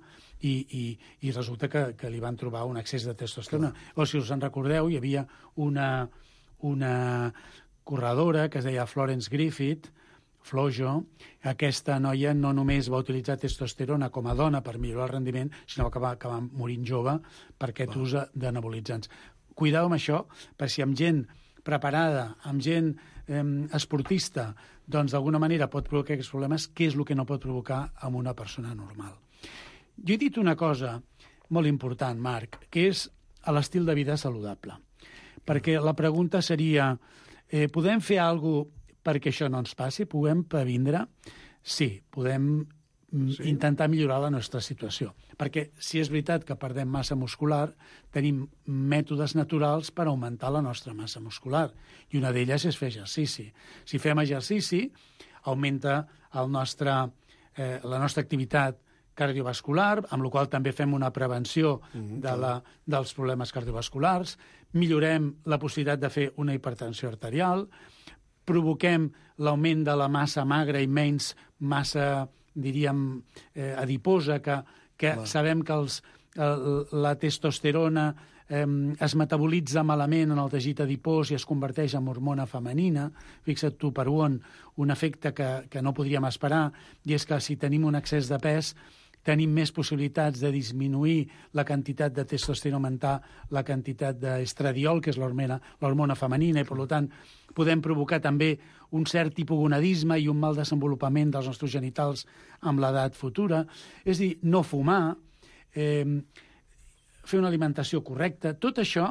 i resulta que li van trobar un excés de testosterona. O si us en recordeu, hi havia una corredora que es deia Florence Griffith, Flojo. Aquesta noia no només va utilitzar testosterona com a dona per millorar el rendiment, sinó que va acabar morint jove per aquest ús d'anabolitzants. Cuideu amb això, perquè si amb gent preparada, amb gent esportista, doncs d'alguna manera pot provocar aquests problemes, què és el que no pot provocar amb una persona normal? Jo he dit una cosa molt important, Marc, que és l'estil de vida saludable. Perquè la pregunta seria, podem fer alguna cosa perquè això no ens passi? Podem previndre? Sí, podem intentar millorar la nostra situació. Perquè si és veritat que perdem massa muscular, tenim mètodes naturals per augmentar la nostra massa muscular. I una d'elles és fer exercici. Si fem exercici, augmenta la nostra activitat cardiovascular, amb la qual també fem una prevenció dels problemes cardiovasculars, millorem la possibilitat de fer una hipertensió arterial, provoquem l'augment de la massa magra i menys massa, diríem, adiposa, que sabem que la testosterona es metabolitza malament en el teixit adipós i es converteix en hormona femenina. Fixa't tu per un efecte que no podríem esperar, i és que si tenim un excés de pes tenim més possibilitats de disminuir la quantitat de testosterona, augmentar la quantitat d'estradiol, que és l'hormona femenina, i per tant podem provocar també un cert hipogonadisme i un mal desenvolupament dels nostres genitals amb l'edat futura. És a dir, no fumar, fer una alimentació correcta, tot això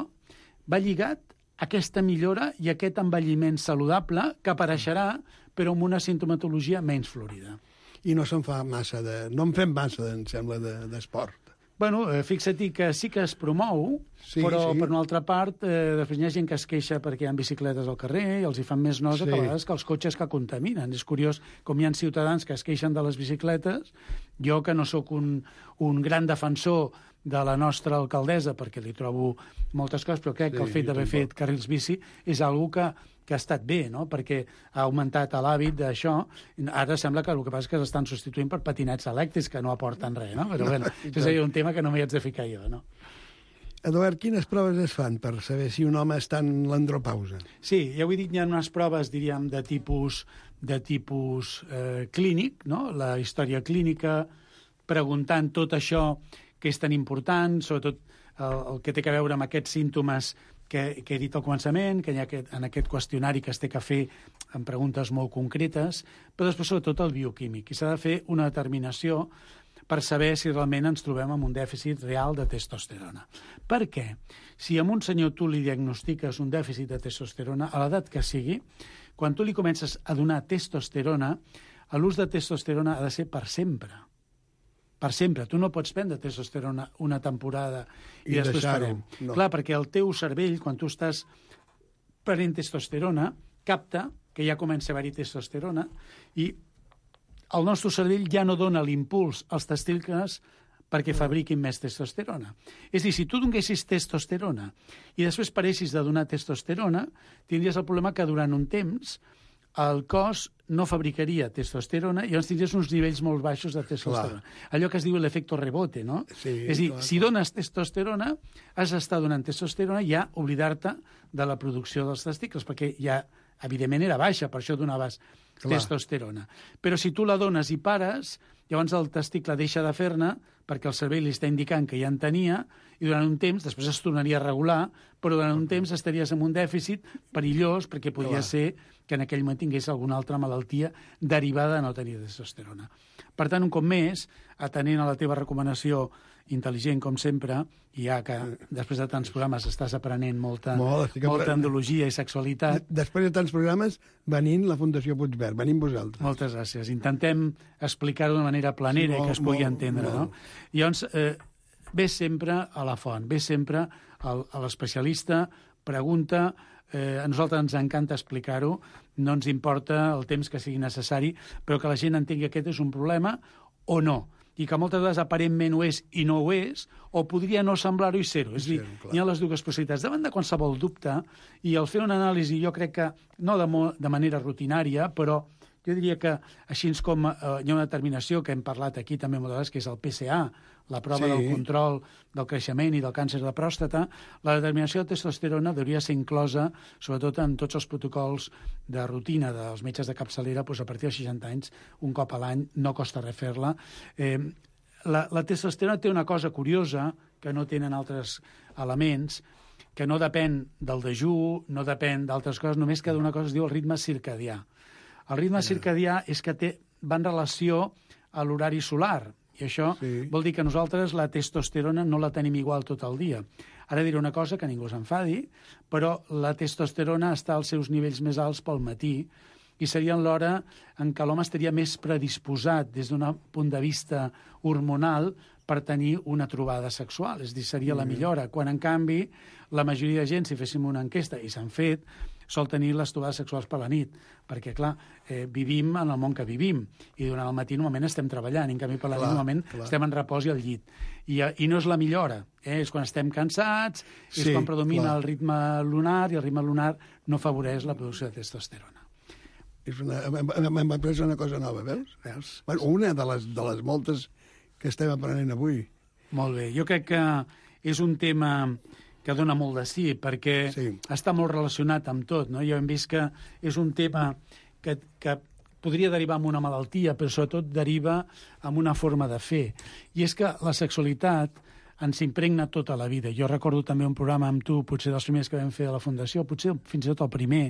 va lligat a aquesta millora i a aquest envelliment saludable que apareixerà, però amb una sintomatologia menys florida. I no se'n fa massa no en fem massa, em sembla, d'esport. Bueno, fixa't que sí que es promou, però per una altra part després hi ha gent que es queixa perquè hi ha bicicletes al carrer i els hi fan més nosa que a vegades que els cotxes que contaminen. És curiós com hi ha ciutadans que es queixen de les bicicletes. Jo, que no sóc un gran defensor de la nostra alcaldessa, perquè li trobo moltes coses, però crec que el fet d'haver fet carrils bici és una cosa que ha estat bé, no? Perquè ha augmentat l'hàbit d'això. Ara sembla que el que passa és que s'estan substituint per patinets elèctrics que no aporten res, no? Però bueno, això seria un tema que no m'hi haig de ficar jo, no? Eduard, quines proves es fan per saber si un home està en l'andropausa? Sí, ja ho he dit, hi ha unes proves, diríem, de tipus clínic, no? La història clínica, preguntant tot això que és tan important, sobretot el que té a veure amb aquests símptomes que he dit al començament, que hi ha en aquest qüestionari que es té que fer amb preguntes molt concretes, però després sobretot el bioquímic. I s'ha de fer una determinació per saber si realment ens trobem amb un dèficit real de testosterona. Per què? Si a un senyor tu li diagnostiques un dèficit de testosterona, a l'edat que sigui, quan tu li comences a donar testosterona, l'ús de testosterona ha de ser per sempre. Per sempre. Tu no pots prendre testosterona una temporada i després parem. No. Clar, perquè el teu cervell, quan tu estàs prenent testosterona, capta que ja comença a haver-hi testosterona i el nostre cervell ja no dona l'impuls als testicles perquè fabriquin més testosterona. És a dir, si tu donessis testosterona i després paressis de donar testosterona, tindries el problema que durant un temps el cos no fabricaria testosterona i llavors tindries uns nivells molt baixos de testosterona. Clar. Allò que es diu l'efecte rebote, no? Sí, és a dir, si dones testosterona, has d'estar donant testosterona i ja oblidar-te de la producció dels testicles, perquè ja, evidentment, era baixa, per això donaves testosterona. Però si tu la dones i pares, llavors el testicle deixa de fer-ne perquè el cervell li està indicant que ja en tenia i durant un temps, després es tornaria a regular, però durant un temps estaries en un dèficit perillós perquè podria ser que en aquell moment tingués alguna altra malaltia derivada de no tenir testosterona. Per tant, un cop més, atenent a la teva recomanació intel·ligent, com sempre, i ja que després de tants programes estàs aprenent molta andologia i sexualitat. Després de tants programes, venint la Fundació Puigverd, venim vosaltres. Moltes gràcies. Intentem explicar-ho d'una manera planera i que es pugui entendre. No? I llavors, ve sempre a la font, ve sempre a l'especialista, pregunta. A nosaltres ens encanta explicar-ho, no ens importa el temps que sigui necessari, però que la gent entengui que aquest és un problema o no, i que moltes vegades aparentment ho és i no ho és, o podria no semblar-ho i ser-ho. És a dir, hi ha les dues possibilitats. Davant de qualsevol dubte, i al fer una anàlisi, jo crec que, no de manera rutinària, però jo diria que, així com hi ha una determinació que hem parlat aquí també moltes vegades, que és el PSA, la prova del control del creixement i del càncer de pròstata, la determinació de testosterona hauria de ser inclosa, sobretot en tots els protocols de rutina dels metges de capçalera, doncs a partir de 60 anys, un cop a l'any, no costa res fer-la. La testosterona té una cosa curiosa que no tenen altres elements, que no depèn del dejú, no depèn d'altres coses, només que d'una cosa es diu el ritme circadià. El ritme circadià és que va en relació a l'horari solar, i això vol dir que nosaltres la testosterona no la tenim igual tot el dia. Ara diré una cosa que ningú s'enfadi, però la testosterona està als seus nivells més alts pel matí i seria l'hora en què l'home estaria més predisposat des d'un punt de vista hormonal per tenir una trobada sexual. És a dir, seria la millora. Quan, en canvi, la majoria de gent, si féssim una enquesta, i s'han fet, sol tenir les trobades sexuals per la nit, perquè, clar, vivim en el món que vivim, i durant el matí normalment estem treballant, i en canvi per la nit normalment estem en repòs i al llit. I no és la millora, és quan estem cansats, és quan predomina el ritme lunar, i el ritme lunar no afavoreix la producció de testosterona. M'ha après una cosa nova, veus? Bueno, una de les moltes que estem aprenent avui. Molt bé, jo crec que és un tema que dona molt de sí, perquè està molt relacionat amb tot, no? Ja hem vist que és un tema que podria derivar en una malaltia, però sobretot deriva en una forma de fer. I és que la sexualitat ens impregna tota la vida. Jo recordo també un programa amb tu, potser dels primers que vam fer a la Fundació, potser fins i tot el primer,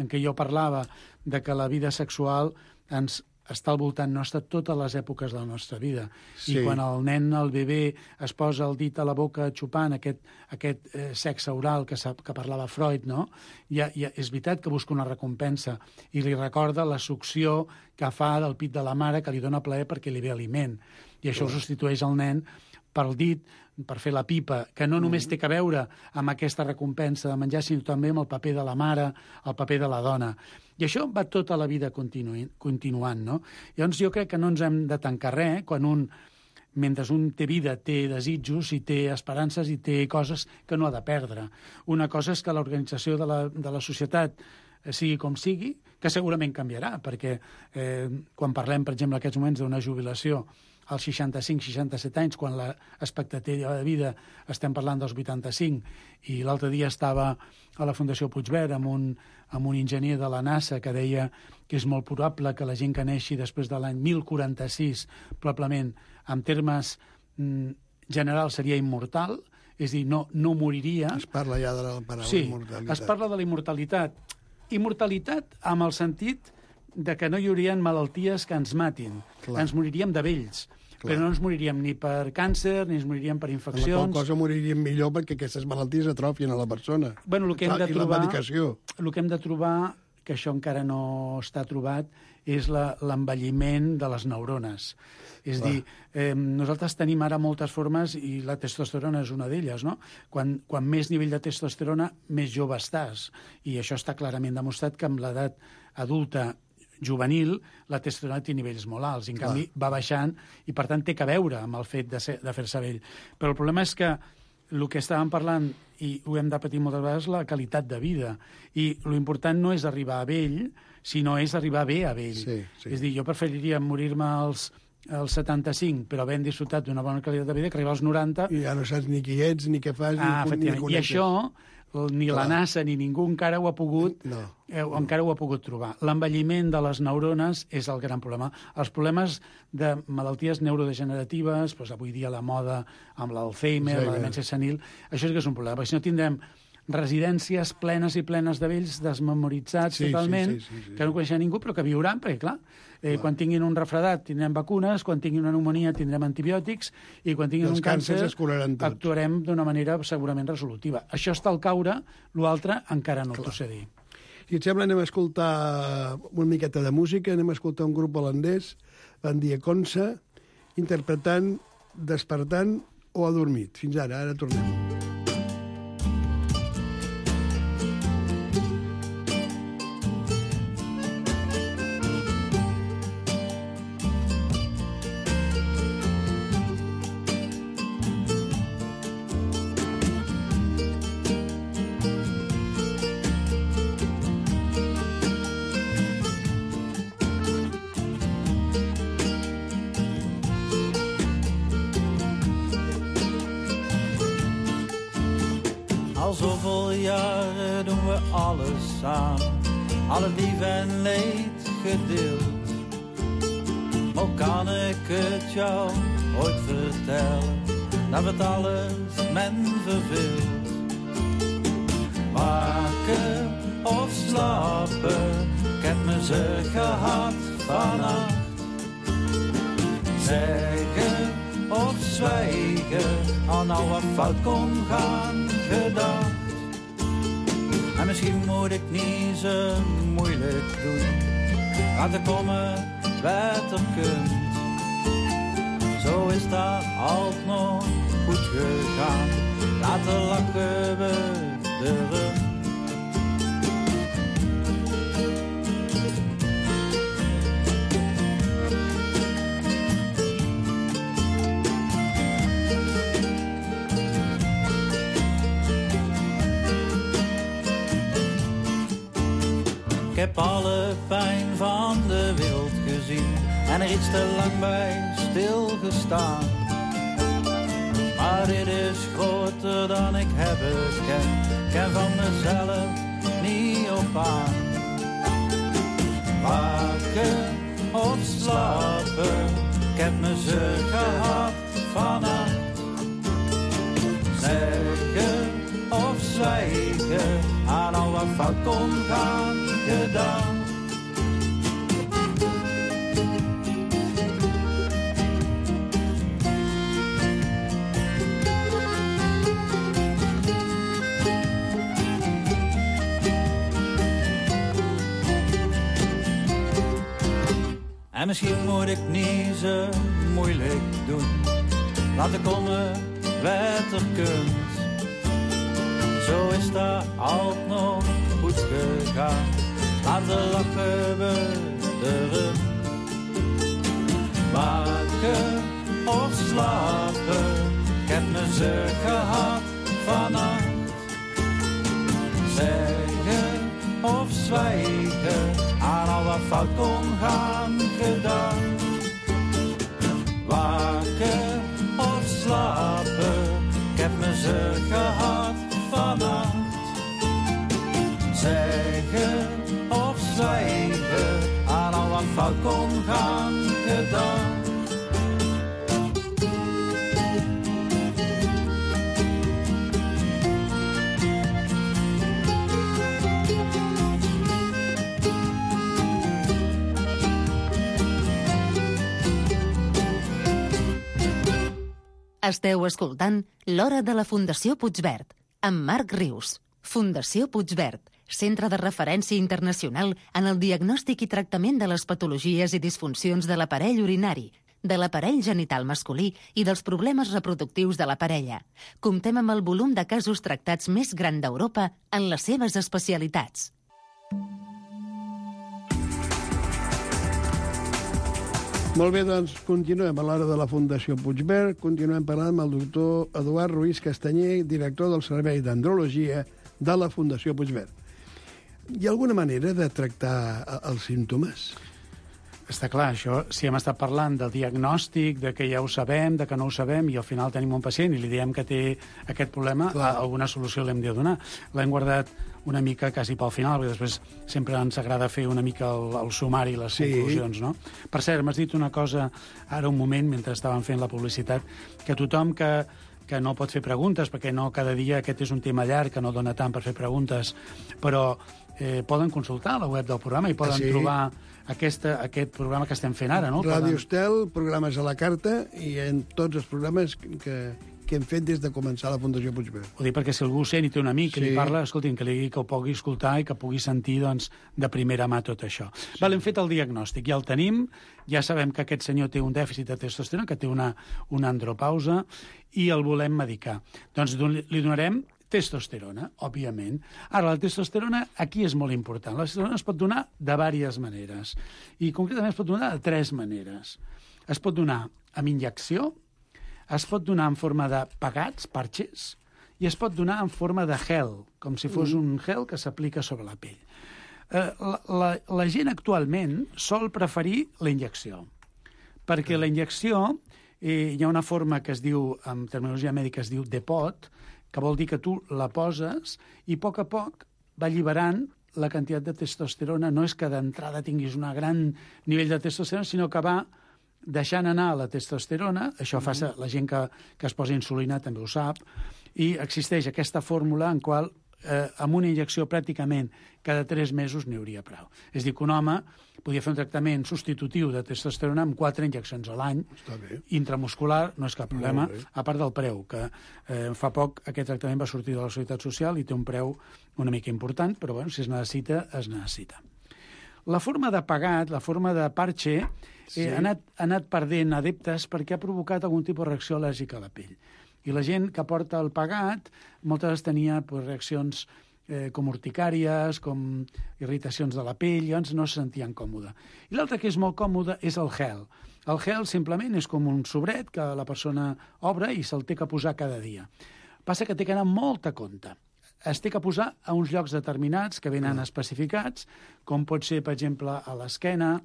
en què jo parlava de que la vida sexual ens està al voltant nostre totes les èpoques de la nostra vida. I quan el nen, el bebè, es posa el dit a la boca xupant aquest sexe oral que parlava Freud, no? És veritat que busca una recompensa i li recorda la succió que fa del pit de la mare que li dona plaer perquè li ve aliment. I això substitueix el nen pel dit, per fer la pipa, que no només té a veure amb aquesta recompensa de menjar, sinó també amb el paper de la mare, el paper de la dona. I això va tota la vida continuant, no? Llavors jo crec que no ens hem de tancar res quan mentre un té vida, té desitjos i té esperances i té coses que no ha de perdre. Una cosa és que l'organització de la societat sigui com sigui, que segurament canviarà, perquè quan parlem, per exemple, en aquests moments d'una jubilació als 65-67 anys, quan l'expectativa de vida estem parlant dels 85, i l'altre dia estava a la Fundació Puigverd amb un enginyer de la NASA que deia que és molt probable que la gent que neixi després de l'any 1046, probablement, en termes generals, seria immortal, és a dir, no moriria. Es parla ja de la paraula immortalitat. Sí, es parla de la immortalitat. Immortalitat amb el sentit de que no hi haurien malalties que ens matin. Ens moriríem de vells. Però no ens moriríem ni per càncer, ni ens moriríem per infeccions. En la qual cosa moriríem millor perquè aquestes malalties atrofien a la persona. Bueno, el que hem de I la trobar, medicació. el que hem de trobar, que això encara no està trobat, és l'envelliment de les neurones. És a dir, nosaltres tenim ara moltes formes i la testosterona és una d'elles, no? Quan més nivell de testosterona, més jove estàs. I això està clarament demostrat que amb l'edat adulta juvenil, la testosterona té nivells molt alts, i en canvi va baixant, i per tant té que veure amb el fet de fer-se vell. Però el problema és que el que estàvem parlant, i ho hem de patir moltes vegades, la qualitat de vida. I l'important no és arribar a vell, sinó és arribar bé a vell. Sí. És a dir, jo preferiria morir-me als 75, però havent disfrutat d'una bona qualitat de vida, que arribar als 90... I ja no saps ni qui ets, ni què fas, ni I això, ni la NASA ni ningú encara ho ha pogut, encara ho ha pogut trobar. L'envelliment de les neurones és el gran problema. Els problemes de malalties neurodegeneratives, doncs avui dia la moda amb l'Alzheimer, la demència senil, això sí que és un problema, perquè si no tindrem residències plenes i plenes de vells desmemoritzats totalment, que no coneixen ningú, però que viuran, perquè, clar, quan tinguin un refredat tindrem vacunes, quan tinguin una pneumònia tindrem antibiòtics, i quan tinguin un càncer actuarem d'una manera segurament resolutiva. Això està al caure, l'altre encara no t'ho sé dir. Si et sembla, anem a escoltar una miqueta de música, anem a escoltar un grup holandès, Van Die Konsa, interpretant Despertant o Adormit. Fins ara tornem. Al zoveel jaren doen we alles samen, alle lief en leed gedeeld. Maar kan ik het jou ooit vertellen, dat het alles men verveelt. Waken of slapen, ik heb me ze gehad vannacht. Zeggen of zwijgen, al nou wat fout kon gaan gedacht. En misschien moet ik niet zo moeilijk doen, laten komen wat er kunt. Zo is dat altijd nog goed gegaan, laten lachen we erom. Ik heb alle pijn van de wereld gezien en er iets te lang bij stilgestaan. Maar dit is groter dan ik heb gekend, ik ken van mezelf niet op aan. Waken of slapen, ik heb me ze gehad vannacht. Zeggen of zwijgen, aan al wat fout kon gaan gedaan. En misschien moet ik niet zo moeilijk doen, laten komen wat er kunt. Zo is dat altijd nog goed gegaan, laten lachen we erom. Waken of slapen, ik heb me ze gehad vannacht. Zeggen of zwijgen, aan al wat fout kon gaan gedaan. Waken of slapen, ik heb me ze gehad vannacht. Zeggen of zwijgen, aan al wat fout kon gaan gedaan. Esteu escoltant L'Hora de la Fundació Puigverd, amb Marc Rius. Fundació Puigverd, centre de referència internacional en el diagnòstic i tractament de les patologies i disfuncions de l'aparell urinari, de l'aparell genital masculí i dels problemes reproductius de la parella. Comptem amb el volum de casos tractats més gran d'Europa en les seves especialitats. Molt bé, doncs continuem a l'Hora de la Fundació Puigverd. Continuem parlant amb el doctor Eduard Ruiz Castanyer, director del Servei d'Andrologia de la Fundació Puigverd. Hi ha alguna manera de tractar els símptomes? Està clar, això, si hem estat parlant del diagnòstic, de que ja ho sabem, de que no ho sabem, i al final tenim un pacient i li diem que té aquest problema, alguna solució l'hem de donar. L'hem guardat una mica quasi pel final, perquè després sempre ens agrada fer una mica el sumari i les conclusions, no? Per cert, m'has dit una cosa ara un moment, mentre estàvem fent la publicitat, que tothom que no pot fer preguntes, perquè no cada dia aquest és un tema llarg, que no dona tant per fer preguntes, però poden consultar la web del programa i poden trobar aquest programa que estem fent ara, no? Ràdio Estel, programes a la carta, i en tots els programes que hem fet des de començar la Fundació Puigverd. Ho dic perquè si algú sent i té un amic que li parla, escolti'm, que li digui que ho pugui escoltar i que pugui sentir, doncs, de primera mà tot això. Val, hem fet el diagnòstic, ja el tenim, ja sabem que aquest senyor té un dèficit de testosterona, que té una andropausa, i el volem medicar. Doncs li donarem testosterona, òbviament. Ara, la testosterona aquí és molt important. La testosterona es pot donar de diverses maneres, i concretament es pot donar de 3 maneres. Es pot donar amb injecció, es pot donar en forma de pegats, parches, i es pot donar en forma de gel, com si fos un gel que s'aplica sobre la pell. La gent actualment sol preferir la injecció, perquè la injecció hi ha una forma que es diu, en terminologia mèdica es diu depot, que vol dir que tu la poses i a poc va alliberant la quantitat de testosterona. No és que d'entrada tinguis un gran nivell de testosterona, sinó que va deixant anar la testosterona. Això fa la gent que es posa insulina també ho sap, i existeix aquesta fórmula en qual amb una injecció pràcticament cada 3 mesos n'hi hauria prou. És a dir, que un home podia fer un tractament substitutiu de testosterona amb 4 injeccions a l'any, intramuscular, no és cap problema, a part del preu, que fa poc aquest tractament va sortir de la Seguretat Social i té un preu una mica important, però bueno, si es necessita, es necessita. La forma de pegat, la forma de parche, ha anat perdent adeptes perquè ha provocat algun tipus de reacció al·lèrgica a la pell. I la gent que porta el pegat moltes vegades tenia reaccions com urticàries, com irritacions de la pell, llavors no se sentien còmode. I l'altre que és molt còmode és el gel. El gel simplement és com un sobret que la persona obre i se'l té que posar cada dia. Passa que té que anar molt a compte. Es té que posar a uns llocs determinats que venen especificats, com pot ser, per exemple, a l'esquena,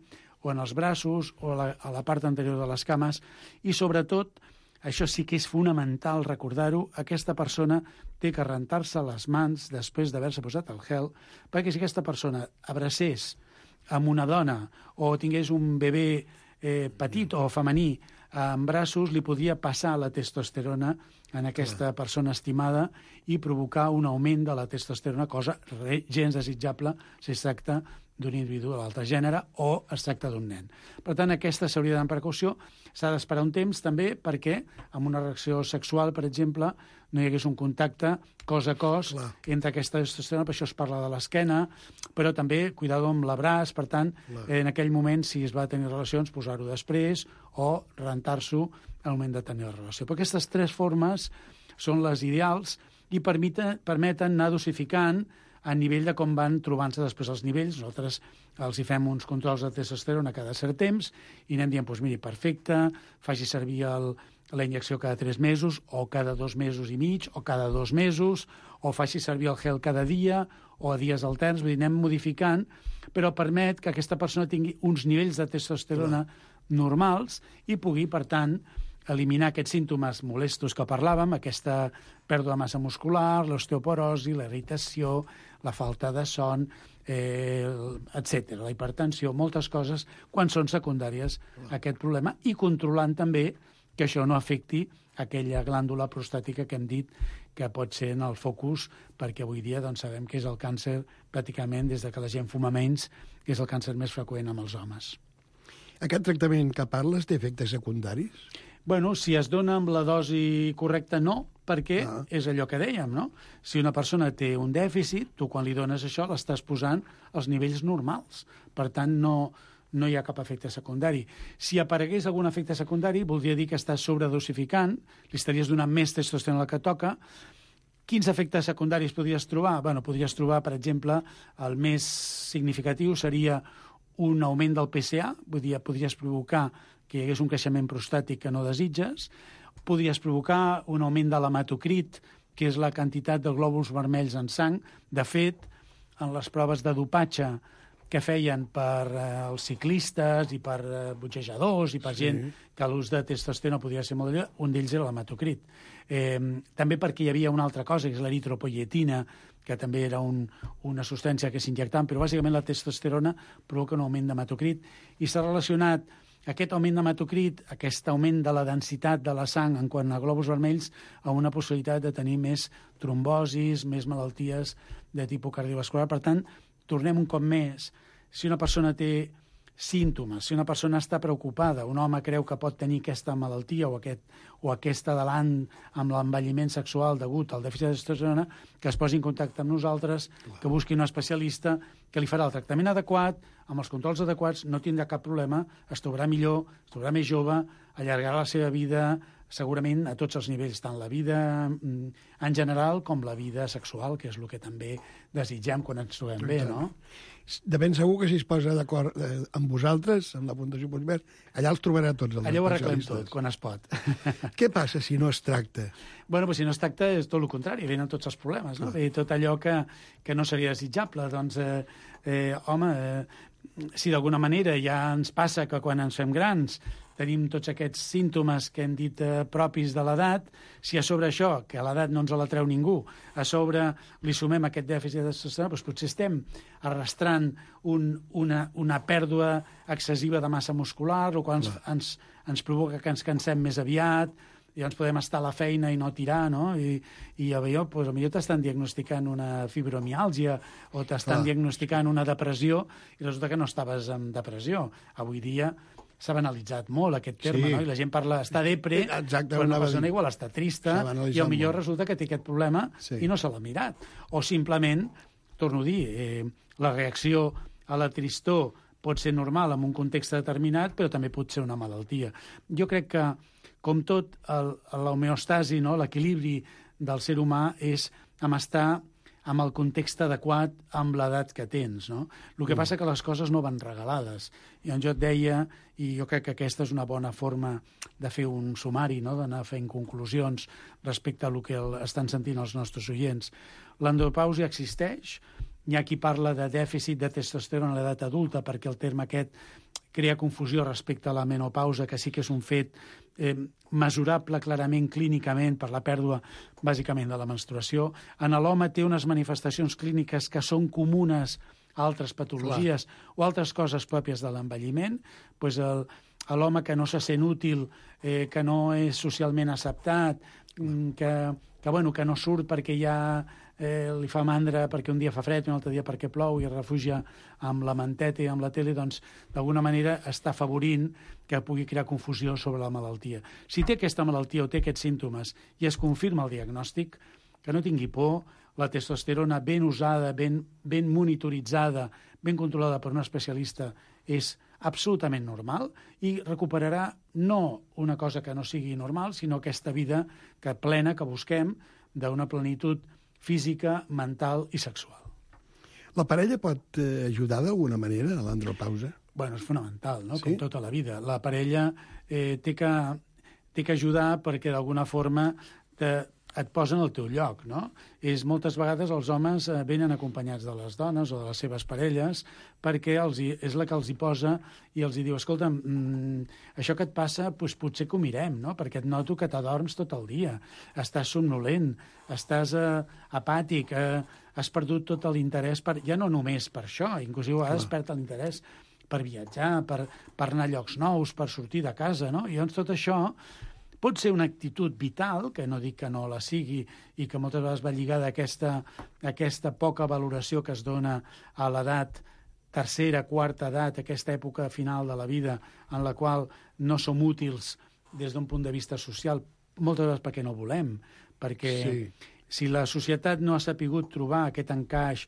o en els braços, o a la part anterior de les cames, i sobretot, això sí que és fonamental recordar-ho, aquesta persona té que rentar-se les mans després d'haver-se posat el gel, perquè si aquesta persona abracés amb una dona o tingués un bebè petit o femení en braços, li podia passar la testosterona en aquesta persona estimada i provocar un augment de la testosterona, cosa gens desitjable si es tracta d'un individu de l'altre gènere o es tracta d'un nen. Per tant, aquesta s'hauria d'anar amb precaució. S'ha d'esperar un temps també perquè amb una reacció sexual, per exemple, no hi hagués un contacte cos a cos entre aquesta testosterona, per això es parla de l'esquena, però també cuidado amb l'abraç, per tant, en aquell moment, si es va tenir relacions, posar-ho després o rentar-s'ho al moment de tenir la relació. Però aquestes 3 formes són les ideals i permeten anar dosificant a nivell de com van trobant-se després els nivells. Nosaltres els hi fem uns controls de testosterona cada cert temps i anem dient, doncs miri, perfecte, faci servir la injecció cada 3 mesos o cada 2 mesos i mig o cada 2 mesos o faci servir el gel cada dia o a dies alterns, vull dir, anem modificant, però permet que aquesta persona tingui uns nivells de testosterona normals i pugui, per tant, eliminar aquests símptomes molestos que parlàvem, aquesta pèrdua de massa muscular, l'osteoporosi, la irritació, la falta de son, etc. La hipertensió, moltes coses, quan són secundàries a aquest problema, i controlant també que això no afecti aquella glàndula prostàtica que hem dit que pot ser en el focus, perquè avui dia doncs, sabem que és el càncer pràcticament, des que la gent fuma menys, que és el càncer més freqüent amb els homes. Aquest tractament que parles té efectes secundaris? Bueno, si es dona amb la dosi correcta, no, perquè és allò que dèiem, no? Si una persona té un dèficit, tu quan li dones això l'estàs posant als nivells normals. Per tant, no hi ha cap efecte secundari. Si aparegués algun efecte secundari, voldria dir que estàs sobredosificant, li estaries donant més testosterona del que toca. Quins efectes secundaris podries trobar? Bueno, podries trobar, per exemple, el més significatiu seria un augment del PSA, vull dir, podries provocar que hi hagués un creixement prostàtic que no desitges, podries provocar un augment de l'hematocrit, que és la quantitat de glòbuls vermells en sang. De fet, en les proves de dopatge que feien per els ciclistes i per boxejadors i per gent que l'ús de testosterona podia ser molt elevat, un d'ells era l'hematocrit. També perquè hi havia una altra cosa, que és l'eritropoietina, que també era una substància que s'injectaven, però bàsicament la testosterona provoca un augment d'hematocrit i s'ha relacionat aquest augment d'hematocrit, aquest augment de la densitat de la sang en quant a glòbuls vermells, amb una possibilitat de tenir més trombosis, més malalties de tipus cardiovascular. Per tant, tornem un cop més. Si una persona té símptomes, si una persona està preocupada, un home creu que pot tenir aquesta malaltia o aquest adelant amb l'envelliment sexual degut al dèficit de testosterona, que es posi en contacte amb nosaltres, que busqui un especialista que li farà el tractament adequat, amb els controls adequats, no tindrà cap problema, es trobarà millor, es trobarà més jove, allargarà la seva vida segurament a tots els nivells, tant la vida en general com la vida sexual, que és el que també desitgem quan ens trobem bé, no? De ben segur que si es posa d'acord amb vosaltres, amb la Fundació Puigverd, allà els trobarà tots els allà ho arreglem especialistes. tot, quan es pot. Què passa si no es tracta? Bueno, pues si no es tracta és tot el contrari, venen tots els problemes, no? Tot allò que no seria desitjable. Doncs, si d'alguna manera ja ens passa que quan ens fem grans tenim tots aquests símptomes que hem dit propis de l'edat, si a sobre això, que a l'edat no ens la treu ningú, a sobre li sumem aquest dèficit de testosterona, doncs potser estem arrastrant una pèrdua excessiva de massa muscular, o quan ens provoca que ens cansem més aviat, i llavors podem estar a la feina i no tirar, no? I potser t'estan diagnosticant una fibromiàlgia o t'estan diagnosticant una depressió i resulta que no estaves en depressió. Avui dia s'ha banalitzat molt aquest terme, no? I la gent parla, està depre, però una persona igual està trista i potser resulta que té aquest problema i no se l'ha mirat. O simplement, torno a dir, la reacció a la tristor pot ser normal en un context determinat, però també pot ser una malaltia. Jo crec que, com tot, l'homeostasi, no? L'equilibri del ser humà és estar amb el context adequat amb l'edat que tens, no? El que passa que les coses no van regalades. I jo et deia, i jo crec que aquesta és una bona forma de fer un sumari, no? D'anar fent conclusions respecte a el que estan sentint els nostres oients. L'andropàusia existeix, hi ha qui parla de dèficit de testosterona a l'edat adulta perquè el terme aquest crea confusió respecte a la menopausa, que sí que és un fet mesurable clarament clínicament per la pèrdua bàsicament de la menstruació. En l'home té unes manifestacions clíniques que són comunes a altres patologies o altres coses pròpies de l'envelliment. Pues l'home que no se sent útil, que no és socialment acceptat, que no surt perquè ja li fa mandra perquè un dia fa fred i un altre dia perquè plou i es refugia amb la manteta i amb la tele, doncs d'alguna manera està afavorint que pugui crear confusió sobre la malaltia. Si té aquesta malaltia o té aquests símptomes i es confirma el diagnòstic, que no tingui por, la testosterona ben usada, ben monitoritzada, ben controlada per un especialista és absolutament normal i recuperarà no una cosa que no sigui normal, sinó aquesta vida plena que busquem d'una plenitud física, mental i sexual. La parella pot ajudar d'alguna manera a l'andropausa? Bueno, és fonamental, no? Sí? Com tota la vida. La parella té que ajudar perquè d'alguna forma et posa en el teu lloc, no? Moltes vegades els homes venen acompanyats de les dones o de les seves parelles perquè és la que els hi posa i els hi diu, escolta, això que et passa, doncs potser que ho mirem, no? Perquè et noto que t'adorms tot el dia, estàs somnolent, estàs apàtic, has perdut tot l'interès, ja no només per això, inclús a vegades perd l'interès per viatjar, per anar a llocs nous, per sortir de casa, no? I llavors tot això pot ser una actitud vital, que no dic que no la sigui, i que moltes vegades va lligada a aquesta poca valoració que es dona a l'edat tercera, quarta edat, aquesta època final de la vida en la qual no som útils des d'un punt de vista social, moltes vegades perquè no volem, perquè si la societat no ha sapigut trobar aquest encaix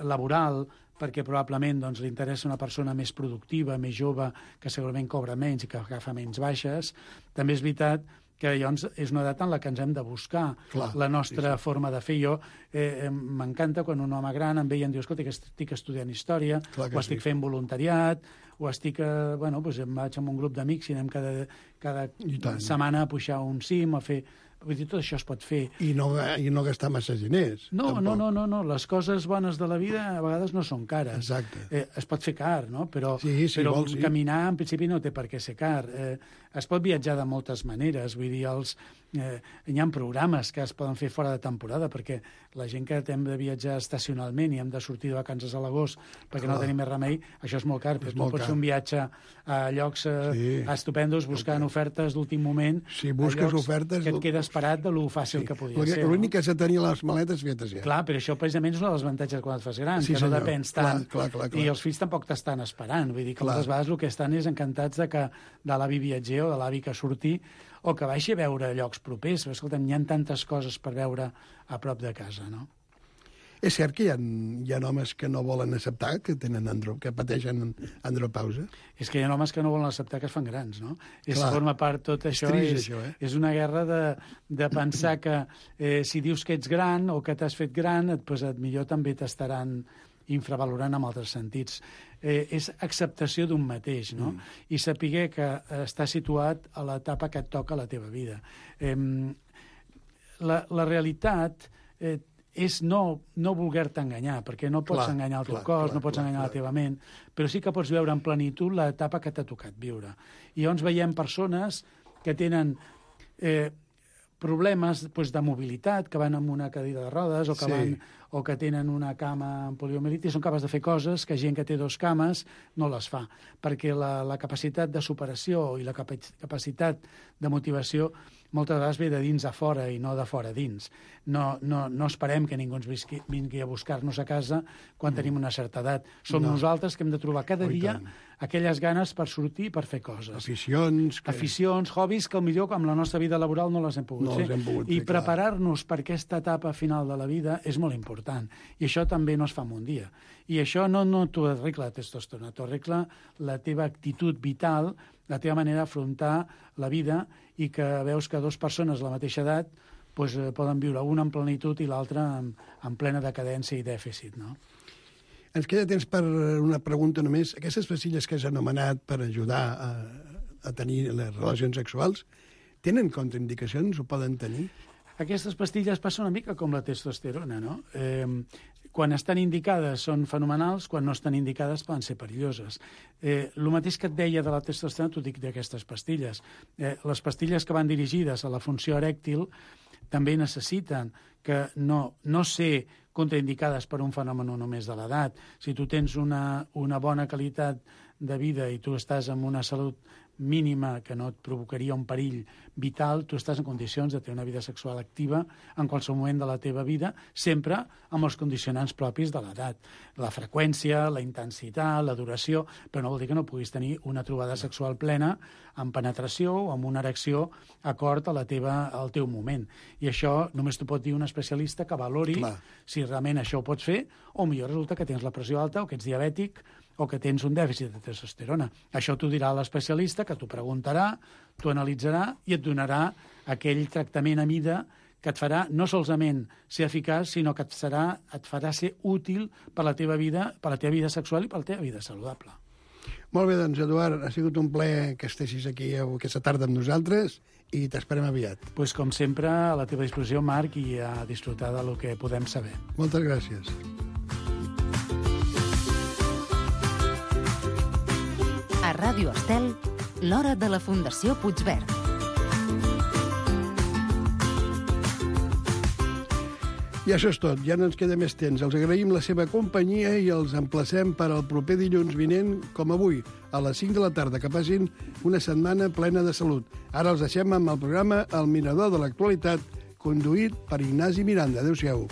laboral, perquè probablement doncs, li interessa una persona més productiva, més jove, que segurament cobra menys i que agafa menys baixes, també és veritat que llavors és una edat en la que ens hem de buscar la nostra forma de fer. Jo m'encanta quan un home gran em veia i em diu, escolta, que estic estudiant història, o estic fent voluntariat, o estic, em vaig amb un grup d'amics i anem cada setmana a pujar un cim, a fer... Vull dir, tot això es pot fer. I no gastar massa diners. No. Les coses bones de la vida a vegades no són cares. Exacte. Es pot fer car, no? Però vols, caminar, en principi, no té per què ser car. Es pot viatjar de moltes maneres. Vull dir, hi ha programes que es poden fer fora de temporada, perquè la gent que hem de viatjar estacionalment i hem de sortir de vacances a l'agost perquè no tenim més remei, això és molt car. Però tu pots fer un viatge a llocs estupendos buscant ofertes d'últim moment. Si busques ofertes... Que et quedes parat de lo fàcil que podia ser. L'únic que has de tenir les maletes fetes ja. Clar, però això precisament és un dels avantatges quan et fas gran, que no depens tant. Clar. I els fills tampoc t'estan esperant. Vull dir que moltes vegades el que estan és encantats de l'avi viatger o de l'avi que surti o que baixi a veure llocs propers. Però, escolta'm, hi ha tantes coses per veure a prop de casa, no? És cert que hi ha homes que no volen acceptar que pateixen andropausa? És que hi ha homes que no volen acceptar que es fan grans, no? Forma part tot això. És una guerra de pensar que si dius que ets gran o que t'has fet gran, millor també t'estaran infravalorant en altres sentits. És acceptació d'un mateix, no? I saber que està situat a l'etapa que et toca a la teva vida. La realitat és no voler-te enganyar, perquè no pots enganyar el teu cos, no pots enganyar la teva ment, però sí que pots veure en plenitud l'etapa que t'ha tocat viure. I llavors veiem persones que tenen problemes de mobilitat, que van amb una cadira de rodes o que tenen una cama amb poliomielitis, són capaços de fer coses que gent que té 2 cames no les fa, perquè la capacitat de superació i la capacitat de motivació moltes vegades ve de dins a fora i no de fora a dins. No esperem que ningú ens vingui a buscar-nos a casa quan tenim una certa edat. Som nosaltres que hem de trobar cada dia aquelles ganes per sortir i per fer coses. Aficions, hobbies, que potser amb la nostra vida laboral no les hem pogut fer. I preparar-nos per aquesta etapa final de la vida és molt important. I això també no es fa en un dia. I això no t'ho arregla la testosterona, t'ho arregla la teva actitud vital, la teva manera d'afrontar la vida, i que veus que 2 persones de la mateixa edat poden viure, una en plenitud i l'altra en plena decadència i dèficit, no? Ens queda temps per una pregunta només. Aquestes pastilles que has anomenat per ajudar a tenir les relacions sexuals, tenen contraindicacions o poden tenir? Aquestes pastilles passen una mica com la testosterona, no? Quan estan indicades són fenomenals, quan no estan indicades poden ser perilloses. El mateix que et deia de la testosterona t'ho dic d'aquestes pastilles. Les pastilles que van dirigides a la funció erèctil també necessiten que no ser contraindicades per un fenomen només de l'edat. Si tu tens una bona qualitat de vida i tu estàs amb una salut mínima que no et provocaria un perill vital, tu estàs en condicions de tenir una vida sexual activa en qualsevol moment de la teva vida, sempre amb els condicionants propis de l'edat. La freqüència, la intensitat, la duració, però no vol dir que no puguis tenir una trobada sexual plena amb penetració o amb una erecció acord al teu moment. I això només t'ho pot dir un especialista que valori si realment això ho pots fer, o millor resulta que tens la pressió alta o que ets diabètic o que tens un dèficit de testosterona. Això t'ho dirà l'especialista, que t'ho preguntarà, t'ho analitzarà i et donarà aquell tractament a mida que et farà no solament ser eficaç, sinó que et farà ser útil per la teva vida sexual i per la teva vida saludable. Molt bé, doncs, Eduard, ha sigut un plaer que estiguis aquí aquesta tarda amb nosaltres i t'esperem aviat. Pues, com sempre, a la teva disposició, Marc, i a disfrutar del que podem saber. Moltes gràcies. A Ràdio Estel, l'hora de la Fundació Puigverd. I això és tot, ja no ens queda més temps. Els agraïm la seva companyia i els emplacem per al proper dilluns vinent, com avui, a les 5 de la tarda, que passin una setmana plena de salut. Ara els deixem amb el programa El Mirador de l'Actualitat, conduït per Ignasi Miranda. Adéu-siau.